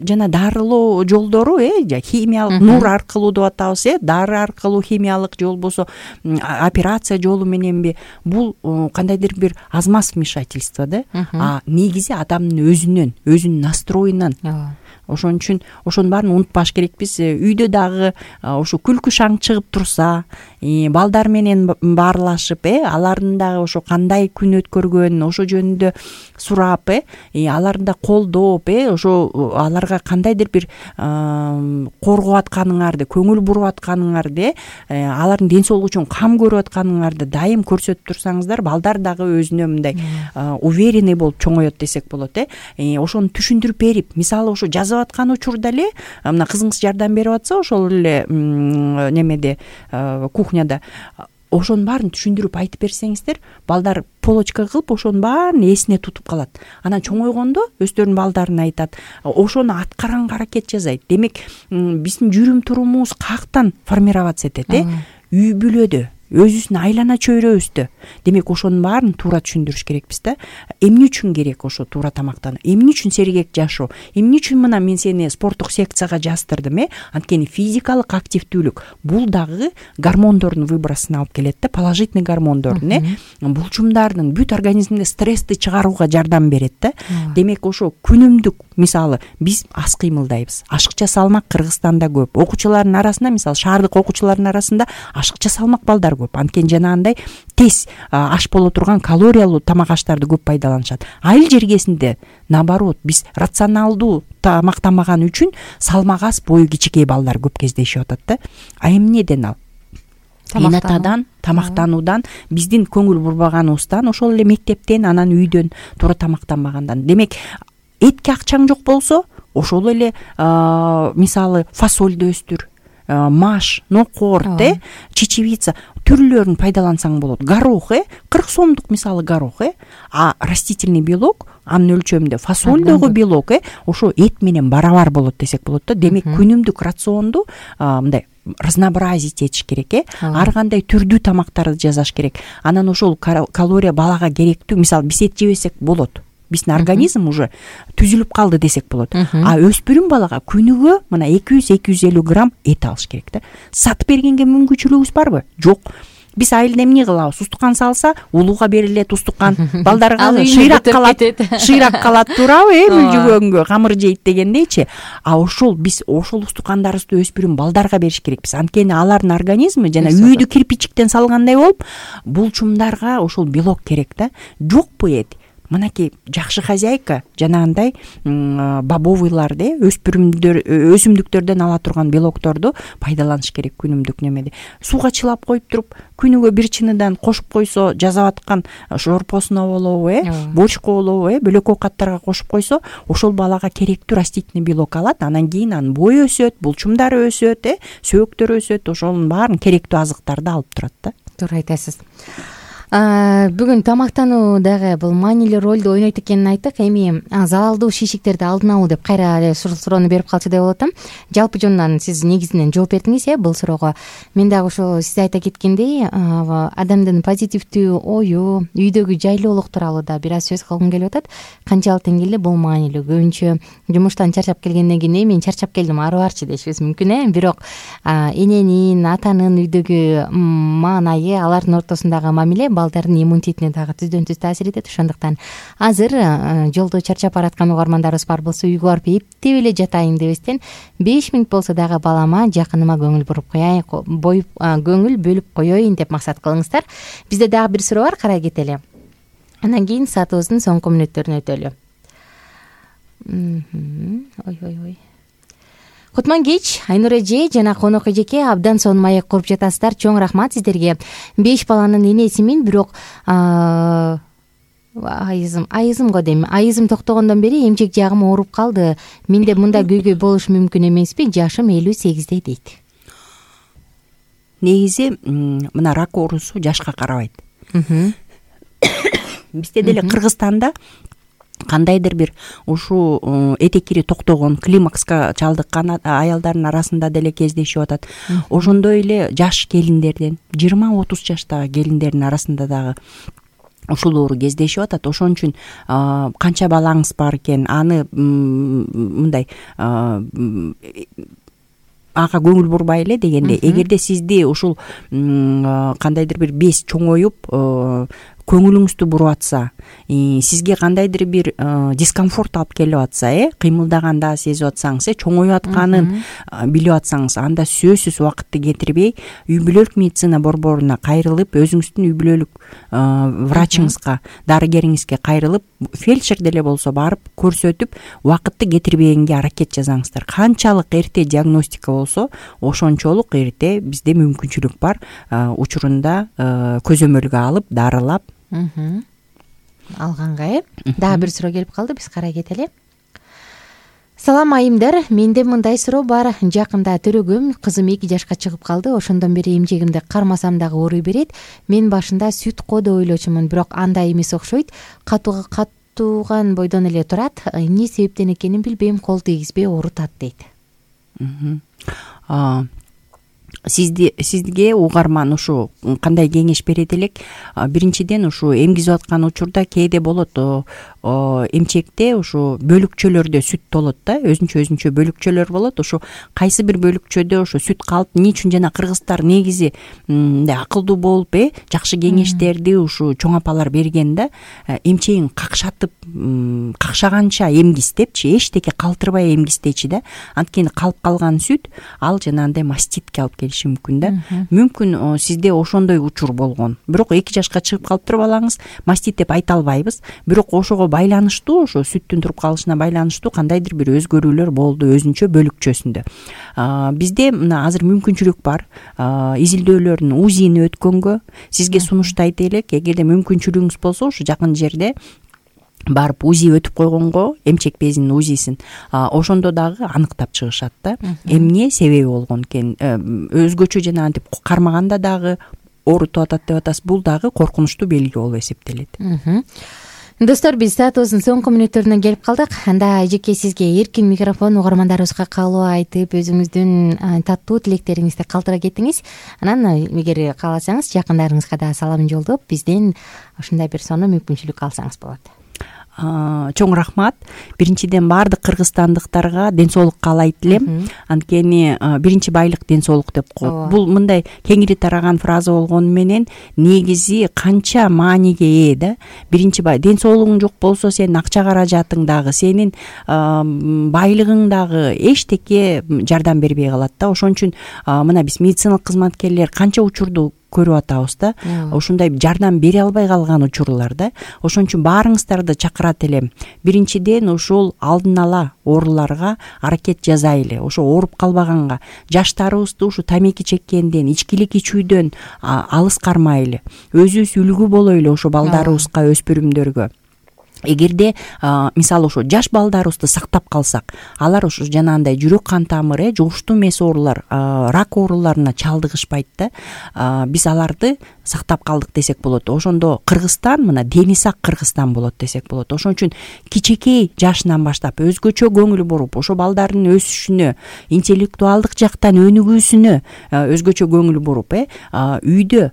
жана дарылоо жолдору, химиялык нур аркылуу деп атабыз, дары аркылуу, химиялык же болбосо операция жолу мененби, бул кандайдыр бир азмаз вмешательство да. А негизи адамдын өзүнүн настроюнан. Ошон үчүн ошонун баарын унутпаш керекпиз. Үйдө дагы ошо күлкү шаң чыгып турса, балдар менен баарлашып, алардын дагы ошо кандай күн өткөргөнүн ошо жөнүндө сурап, аларды да колдоп, ошо аларга кандайдыр бир коргоп атканыңарды, көңүл буруп атканыңарды, алардын ден соолугу үчүн кам көрүп атканыңарды дайым көрсөтүп турсаңыздар, балдар дагы өзүнө мындай уверенный болуп чоңоет десек болот. Ошону түшүндүрүп берип, мисалы ошо жазып аткан учурда эле мына кызыңыз жардам берип атса, ошол эле немеде кухняда, ошонун баарын түшүндүрүп айтып берсеңиздер, балдар полочка кылып ошонун баарын эсине тутуп калат. Анан чоңойгондо өздөрүнүн балдарына айтат, ошону аткаранга аракет жасайт. Демек биздин жүрүм турумубуз каяктан формироваться этет, үй бүлөдө, өзүбүздүн айлана чөйрөбүздө. Демек ошонун баарын туура түшүндүрүш керекпиз да. Эмне үчүн керек ошо туура тамактануу? Эмне үчүн сергек жашоо? Эмне үчүн мына мен сени спорттук секцияга жаздырдым? Анткени физикалык активдүүлүк бул дагы гормондордун выбросуна алып келет да, положительный гормондордун, булчумдардын бүт организмде стрессти чыгарууга жардам берет да. Демек ошо күнүмдүк, мисалы биз аз кыймылдайбыз. Ашыкча салмак Кыргызстанда көп. Окуучулардын арасында, мисалы шаардык окуучулардын арасында ашыкча салмак балдар көп. Анткени жанагындай тез аш боло турган калориялуу тамак аштарды көп пайдаланышат. Айыл жергесинде наоборот, биз рационалдуу тамактанбаган үчүн салмак аз, бою кичикей балдар көп кездешип атат да. А эмнеден ал? Инатадан, тамактануудан, биздин көңүл бурбаганыбыздан, ошол эле мектептен, анан үйдөн туура тамактанбагандан. Демек, этке акчаң жок болсо, ошол эле мисалы фасольду өстүр, маш, нокорт, чечевица түрлөрүн пайдалансаң болот. Горох, 40 сомдук мисалы горох, а растительный белок, анын өлчөмүндө фасольдогу белок, ошо эт менен барабар болот десек болот да. Демек, күнүмдүк рационду мындай разнообразить этиш керек, ар кандай түрдүү тамактарды жасаш керек. Анан ошол калория балага керектүү, мисалы биз эт жебесек болот. Биздин организм уже түзүлүп калды десек болот. А өспүрүм балага күнүгө мына 200-250 грамм эт алыш керек да. Сатып бергенге мүмкүнчүлүгүбүз барбы? Жок. Биз айылда эмне кылабыз? Устукан салса, улууга берилет устукан. Балдарга шыйрак калат, туурабы? Мүлжүгөнгө камыр жейт дегендейчи. А ошол биз ошол устукандарыбызды өспүрүм балдарга бериш керекпиз. Анткени алардын организми жана үйдү кирпичиктен салгандай болуп, булчумдарга ошол белок керек да. Жокпу эт? Мынакей жакшы хозяйка жанагындай бобовыйларды, өсүмдүктөрдөн ала турган белокторду пайдаланыш керек күнүмдүк немеде. Сууга чылап коюп туруп, күнүгө бир чыныдан кошуп койсо, жазап аткан шорпосуна болобу, борчко болобу, бөлөк оокаттарга кошуп койсо, ошол балага керектүү растительный белок алат. Анан кийин анын бою өсөт, булчумдары өсөт, сөөктөрү өсөт, ошонун баарын керектүү азыктарды алып турат да. Туура айтасыз. Бүгүн тамактануу дагы бул маанилүү ролду ойнойт экенин айттык. Эми залалдуу шишиктерди алдын алуу деп кайра эле суроону берип калчу деп болот атам. Жалпы жонунан сиз негизинен жооп бердиңиз бул суроого. Мен дагы ошо сиз айта кеткендей адамдын позитивдүү ою, үйдөгү жайлуулук тууралуу да бир аз сөз кылгым келип атат. Канчалык деңгээлде бул маанилүү. Көбүнчө жумуштан чарчап келгенден кийин мен чарчап келдим, ары барчы дешибиз мүмкүн бирок эненин, атанын үйдөгү маанайы, алардын ортосундагы мамиле балдардын иммунитетине дагы түздөн түз таасир этет. Ошондуктан азыр жолдо чарчап бараткан угармандарыбыз бар болсо үйгө барып эптеп эле жатайын дебестен 5 мүнөт болсо дагы балама, жакыныма көңүл буруп коеюн, көңүл бөлүп коеюн деп максат кылыңыздар. Бизде дагы бир суроо бар, карай кетели. Андан кийин саатыбыздын соңку мүнөттөрүнө өтөлү. Ой. Кутман кеч, Айнур эже жана Конок эжеке абдан сонун маек куруп жатасыздар. Чоң рахмат сиздерге. 5 баланын энесимин, бирок айызым го дейм. Айызым токтогондон бери эмчек жагым ооруп калды. Менде мындай көйгөй болуш мүмкүн эмеспи? Жашым 58 дейт. Негизи мына рак оорусу жашка карабайт. Бизде деле Кыргызстанда кандайдыр бир ушул этекири токтогон, климакска чалдыккан аялдардын арасында деле кездешип атат. Ошондой эле жаш келиндерден 20-30 жаштагы келиндердин арасында дагы ушул оору кездешип атат. Ошон үчүн канча балаңыз бар экен, аны мындай ага көңүл бурбай эле дегенде, эгерде сизди ушул кандайдыр бир бес чоңоюп көңүлүңүздү буруп атса, сизге кандайдыр бир дискомфорт алып келип атса, кыймылдаганда сезип атсаңыз, чоңоюп атканын билип атсаңыз, анда сөзсүз убакытты кетирбей үй бүлөлүк медицина борборуна кайрылып, өзүңүздүн үй бүлөлүк врачыңызга, дарыгериңизге кайрылып, фельдшер деле болсо барып көрсөтүп, убакытты кетирбегенге аракет жасаңыздар. Канчалык эрте диагностика болсо, ошончолук эрте бизде мүмкүнчүлүк бар. Учурунда көзөмөлгө алып, дарылап алганга. Дагы бир суроо келип калды, биз карай кетели. Салам айымдар, менде мындай суроо бар. Жакында төрөгөм, кызым 2 жашка чыгып калды. Ошондон бери эмчегимди кармасам дагы ооруй берет. Мен башында сүт го деп ойлочумун, бирок андай эмес окшойт. Катууган бойдон эле турат. Эмне себептен экенин билбейм, кол тийгизбей оорутат дейт. Сизге угарман ушу кандай кеңеш берет элек? Биринчиден, ушу эмгизип аткан учурда кээде болот, эмчекте ушу бөлүкчөлөрдө сүт болот да, өзүнчө бөлүкчөлөр болот. Ушу кайсы бир бөлүкчөдө ушу сүт калып, эмне үчүн жана кыргыздар негизи акылдуу болуп, жакшы кеңештерди ушу чоң апалар берген да, эмчегин какшатып, какшаганча эмгиз депчи, эчтеке калтырбай эмгиздечи да. Анткени калып калган сүт ал жанагындай маститке алып келиши мүмкүн да. Мүмкүн сизде ошондой учур болгон. Бирок 2 жашка чыгып калыптыр балаңыз, мастит деп айта албайбыз. Бирок ошого байланыштуу, ошо сүттүн туруп калышына байланыштуу кандайдыр бир өзгөрүүлөр болду өзүнчө бөлүкчөсүндө. Бизде мына азыр мүмкүнчүлүк бар. Изилдөөлөрдүн УЗИни өткөнгө сизге сунуштайт элек. Эгерде мүмкүнчүлүгүңүз болсо, ушу жакын жерде барып УЗИ өтүп койгонго, эмчек безинин УЗИсин, ошондо дагы аныктап чыгышат да. Эмне себеби болгон экен? Өзгөчө жана антип кармаганда дагы оорутуп атат деп атасыз. Бул дагы коркунучтуу белги болуп эсептелет. Достор, биз саатыбыздын соңку мүнөттөрүнө келип калдык. Анда эжеке сизге эркин микрофон, угармандарыбызга каалоо айтып, өзүңүздүн таттуу тилектериңизди калтыра кетиңиз. Анан эгер кааласаңыз, жакындарыңызга да салам жолдоп, бизден ушундай бир сонун мүмкүнчүлүк алсаңыз болот. Чоң рахмат. Биринчиден баардык кыргызстандыктарга ден соолук каалайт элем. Анткени биринчи байлык ден соолук деп коет. Бул мындай кеңири тараган фраза болгону менен негизи канча мааниге ээ да. Биринчи ден соолугуң жок болсо, сенин акча каражатың дагы, сенин байлыгың дагы эчтеке жардам бербей калат да. Ошон үчүн мына биз медициналык кызматкерлер канча учурду көрүп атабыз да. Ошондой жардам бере албай калган учурлар да. Ошон үчүн баарыңыздарды чакырат элем. Биринчиден ушул алдын ала ооруларга аракет жасайлы. Ошо ооруп калбаганга, жаштарыбызды ушу тамеки чеккенден, ичкилик ичүүдөн алыс кармайлы. Өзүбүз үлгү болойлу ошо балдарыбызга, өспүрүмдөргө. эгерде мисалы ошо жаш балдарыбызды сактап калсак, алар ошо жанагындай жүрөк кан тамыры, жугуштуу эмес оорулар, рак ооруларына чалдыгышпайт да. Биз аларды сактап калдык десек болот. Ошондо Кыргызстан мына дени сак Кыргызстан болот десек болот. Ошон үчүн кичинекей жашынан баштап өзгөчө көңүл буруп, ошо балдардын өсүшүнө, интеллектуалдык жактан өнүгүүсүнө өзгөчө көңүл буруп, үйдө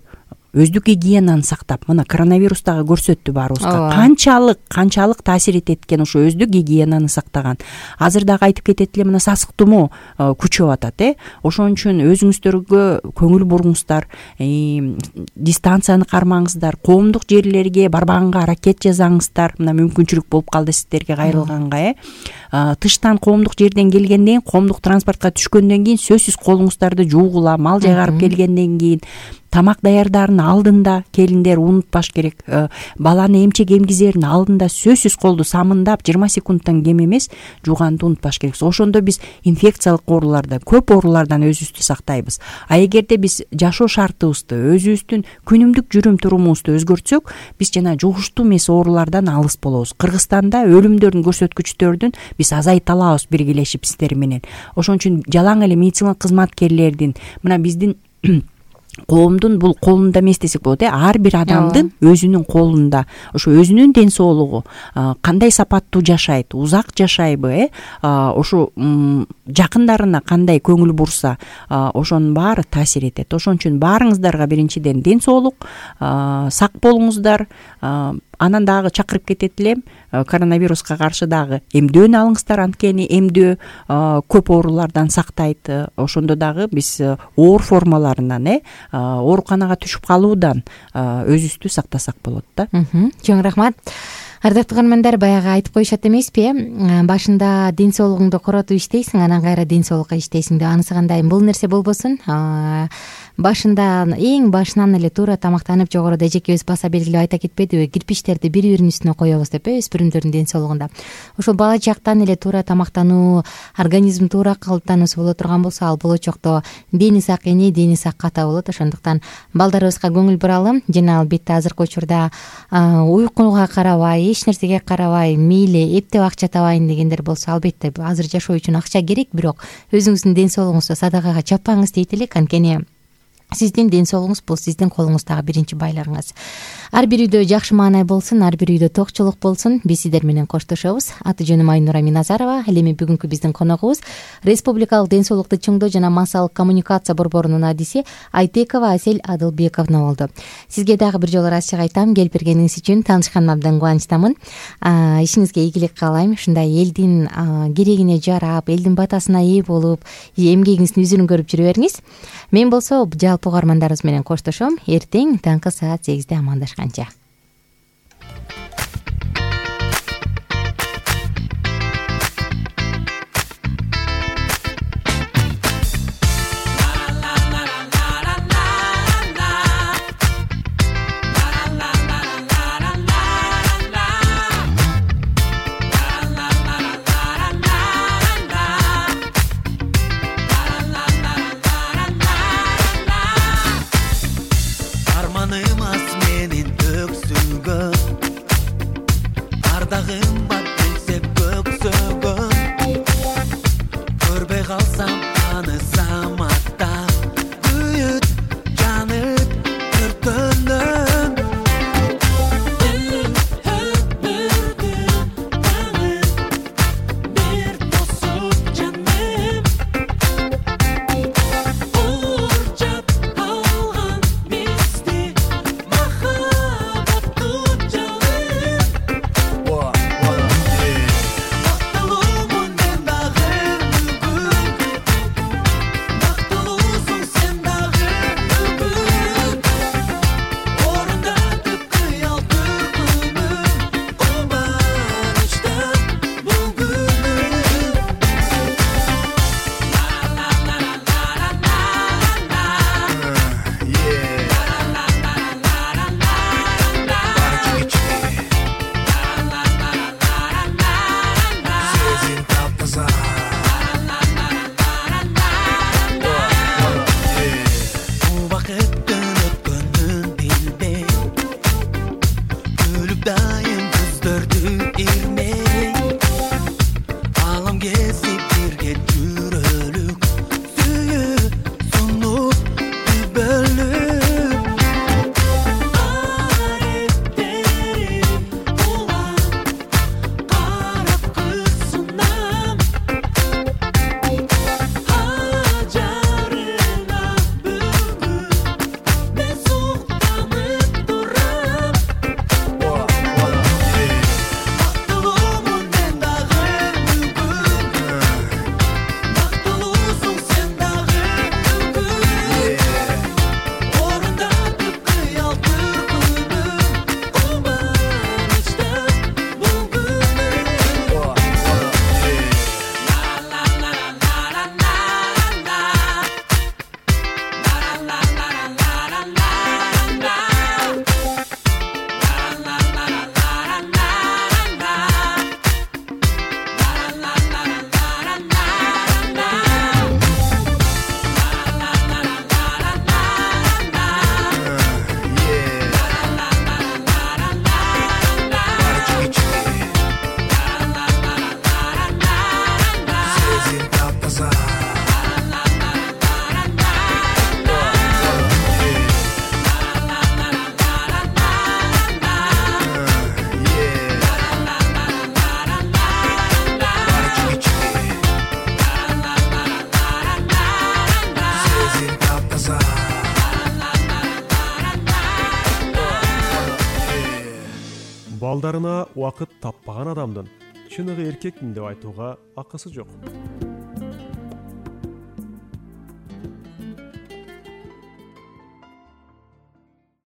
өздүк гигиенаны сактап, мына коронавирус дагы көрсөттү баарыбызга канчалык таасир этет экен ошо өздүк гигиенаны сактаган. Азыр дагы айтып кетет эле, мына сасык тумоо күчөп атат. Ошон үчүн өзүңүздөргө көңүл буруңуздар, дистанцияны кармаңыздар, коомдук жерлерге барбаганга аракет жасаңыздар. Мына мүмкүнчүлүк болуп калды сиздерге кайрылганга. Тыштан коомдук жерден келгенден кийин, коомдук транспортко түшкөндөн кийин сөзсүз колуңуздарды жуугула, мал жайгарып келгенден кийин, тамак даярдаардын алдында келиндер унутпаш керек. Баланы эмчек эмгизердин алдында сөзсүз колду самындап 20 секундтан кем эмес жууганды унутпаш керек. Ошондо биз инфекциялык оорулардан, көп оорулардан өзүбүздү сактайбыз. Эгерде биз жашоо шартыбызды, өзүбүздүн күнүмдүк жүрүм турумубузду өзгөртсөк, биз жана жугуштуу эмес оорулардан алыс болобуз. Кыргызстанда өлүмдөрдүн көрсөткүчтөрдүн биз азайта алабыз биргелешип сиздер менен. Ошон үчүн жалаң эле медициналык кызматкерлердин, мына биздин коомдун бул колунда эмес десек болот. Ар бир адамдын өзүнүн колунда. Ошо өзүнүн ден соолугу, кандай сапаттуу жашайт, узак жашайбы, ошо жакындарына кандай көңүл бурса, ошонун баары таасир этет. Ошон үчүн баарыңыздарга биринчиден ден соолук, сак болуңуздар. Анан дагы чакырып кетет элем, коронавируска каршы дагы эмдөөнү алыңыздар, анткени эмдөө көп оорулардан сактайт. Ошондо дагы биз оор формаларынан, ооруканага түшүп калуудан өзүбүздү сактасак болот да. Чоң рахмат. Ардактуу көрөрмандар, баягы айтып коюшат эмеспи, башында ден соолугуңду коротуп иштейсиң, анан кайра ден соолукка иштейсиң деп. Анысы кандай? Бул нерсе болбосун. Башында эң башынан эле туура тамактанып, жогоруда эжекебиз баса белгилеп айта кетпедиби, кирпичтерди бири-биринин үстүнө коебуз деп, өспүрүмдөрдүн ден соолугунда. Ошол бала чактан эле туура тамактануу, организм туура калыптануусу боло турган болсо, ал болочокто дени сак эне, дени сак ата болот. Ошондуктан балдарыбызга көңүл буралы. Жана албетте азыркы учурда уйкуга карабай, эч нерсеге карабай, мейли эптеп акча табайын дегендер болсо, албетте азыр жашоо үчүн акча керек, бирок өзүңүздүн ден соолугуңузду садакага чаппаңыз дейт элек. Анткени сиздин ден соолугуңуз бул сиздин колуңуздагы биринчи байларыңыз. Ар бир үйдө жакшы маанай болсун, ар бир үйдө токчулук болсун. Биз сиздер менен коштошобуз. Аты жөнүм Айнура Миназарова. Ал эми бүгүнкү биздин коногубуз Республикалык ден соолукту чыңдоо жана массалык коммуникация борборунун адиси Айтекова Асель Адылбековна болду. Сизге дагы бир жолу ырайчылык айтам. Келип бергениңиз үчүн таанышканыма абдан кубанычтамын. Ишиңизге ийгилик каалайм. Ушундай элдин керегине жарап, элдин батасына ээ болуп, эмгегиңиздин үзүрүн көрүп жүрө бериңиз. Мен болсо жалпы угармандарыбыз менен коштошом. Эртең таңкы саат 8-де амандашканча. балдарына убакыт таппаган адамдын чыныгы эркекмин деп айтууга акысы жок.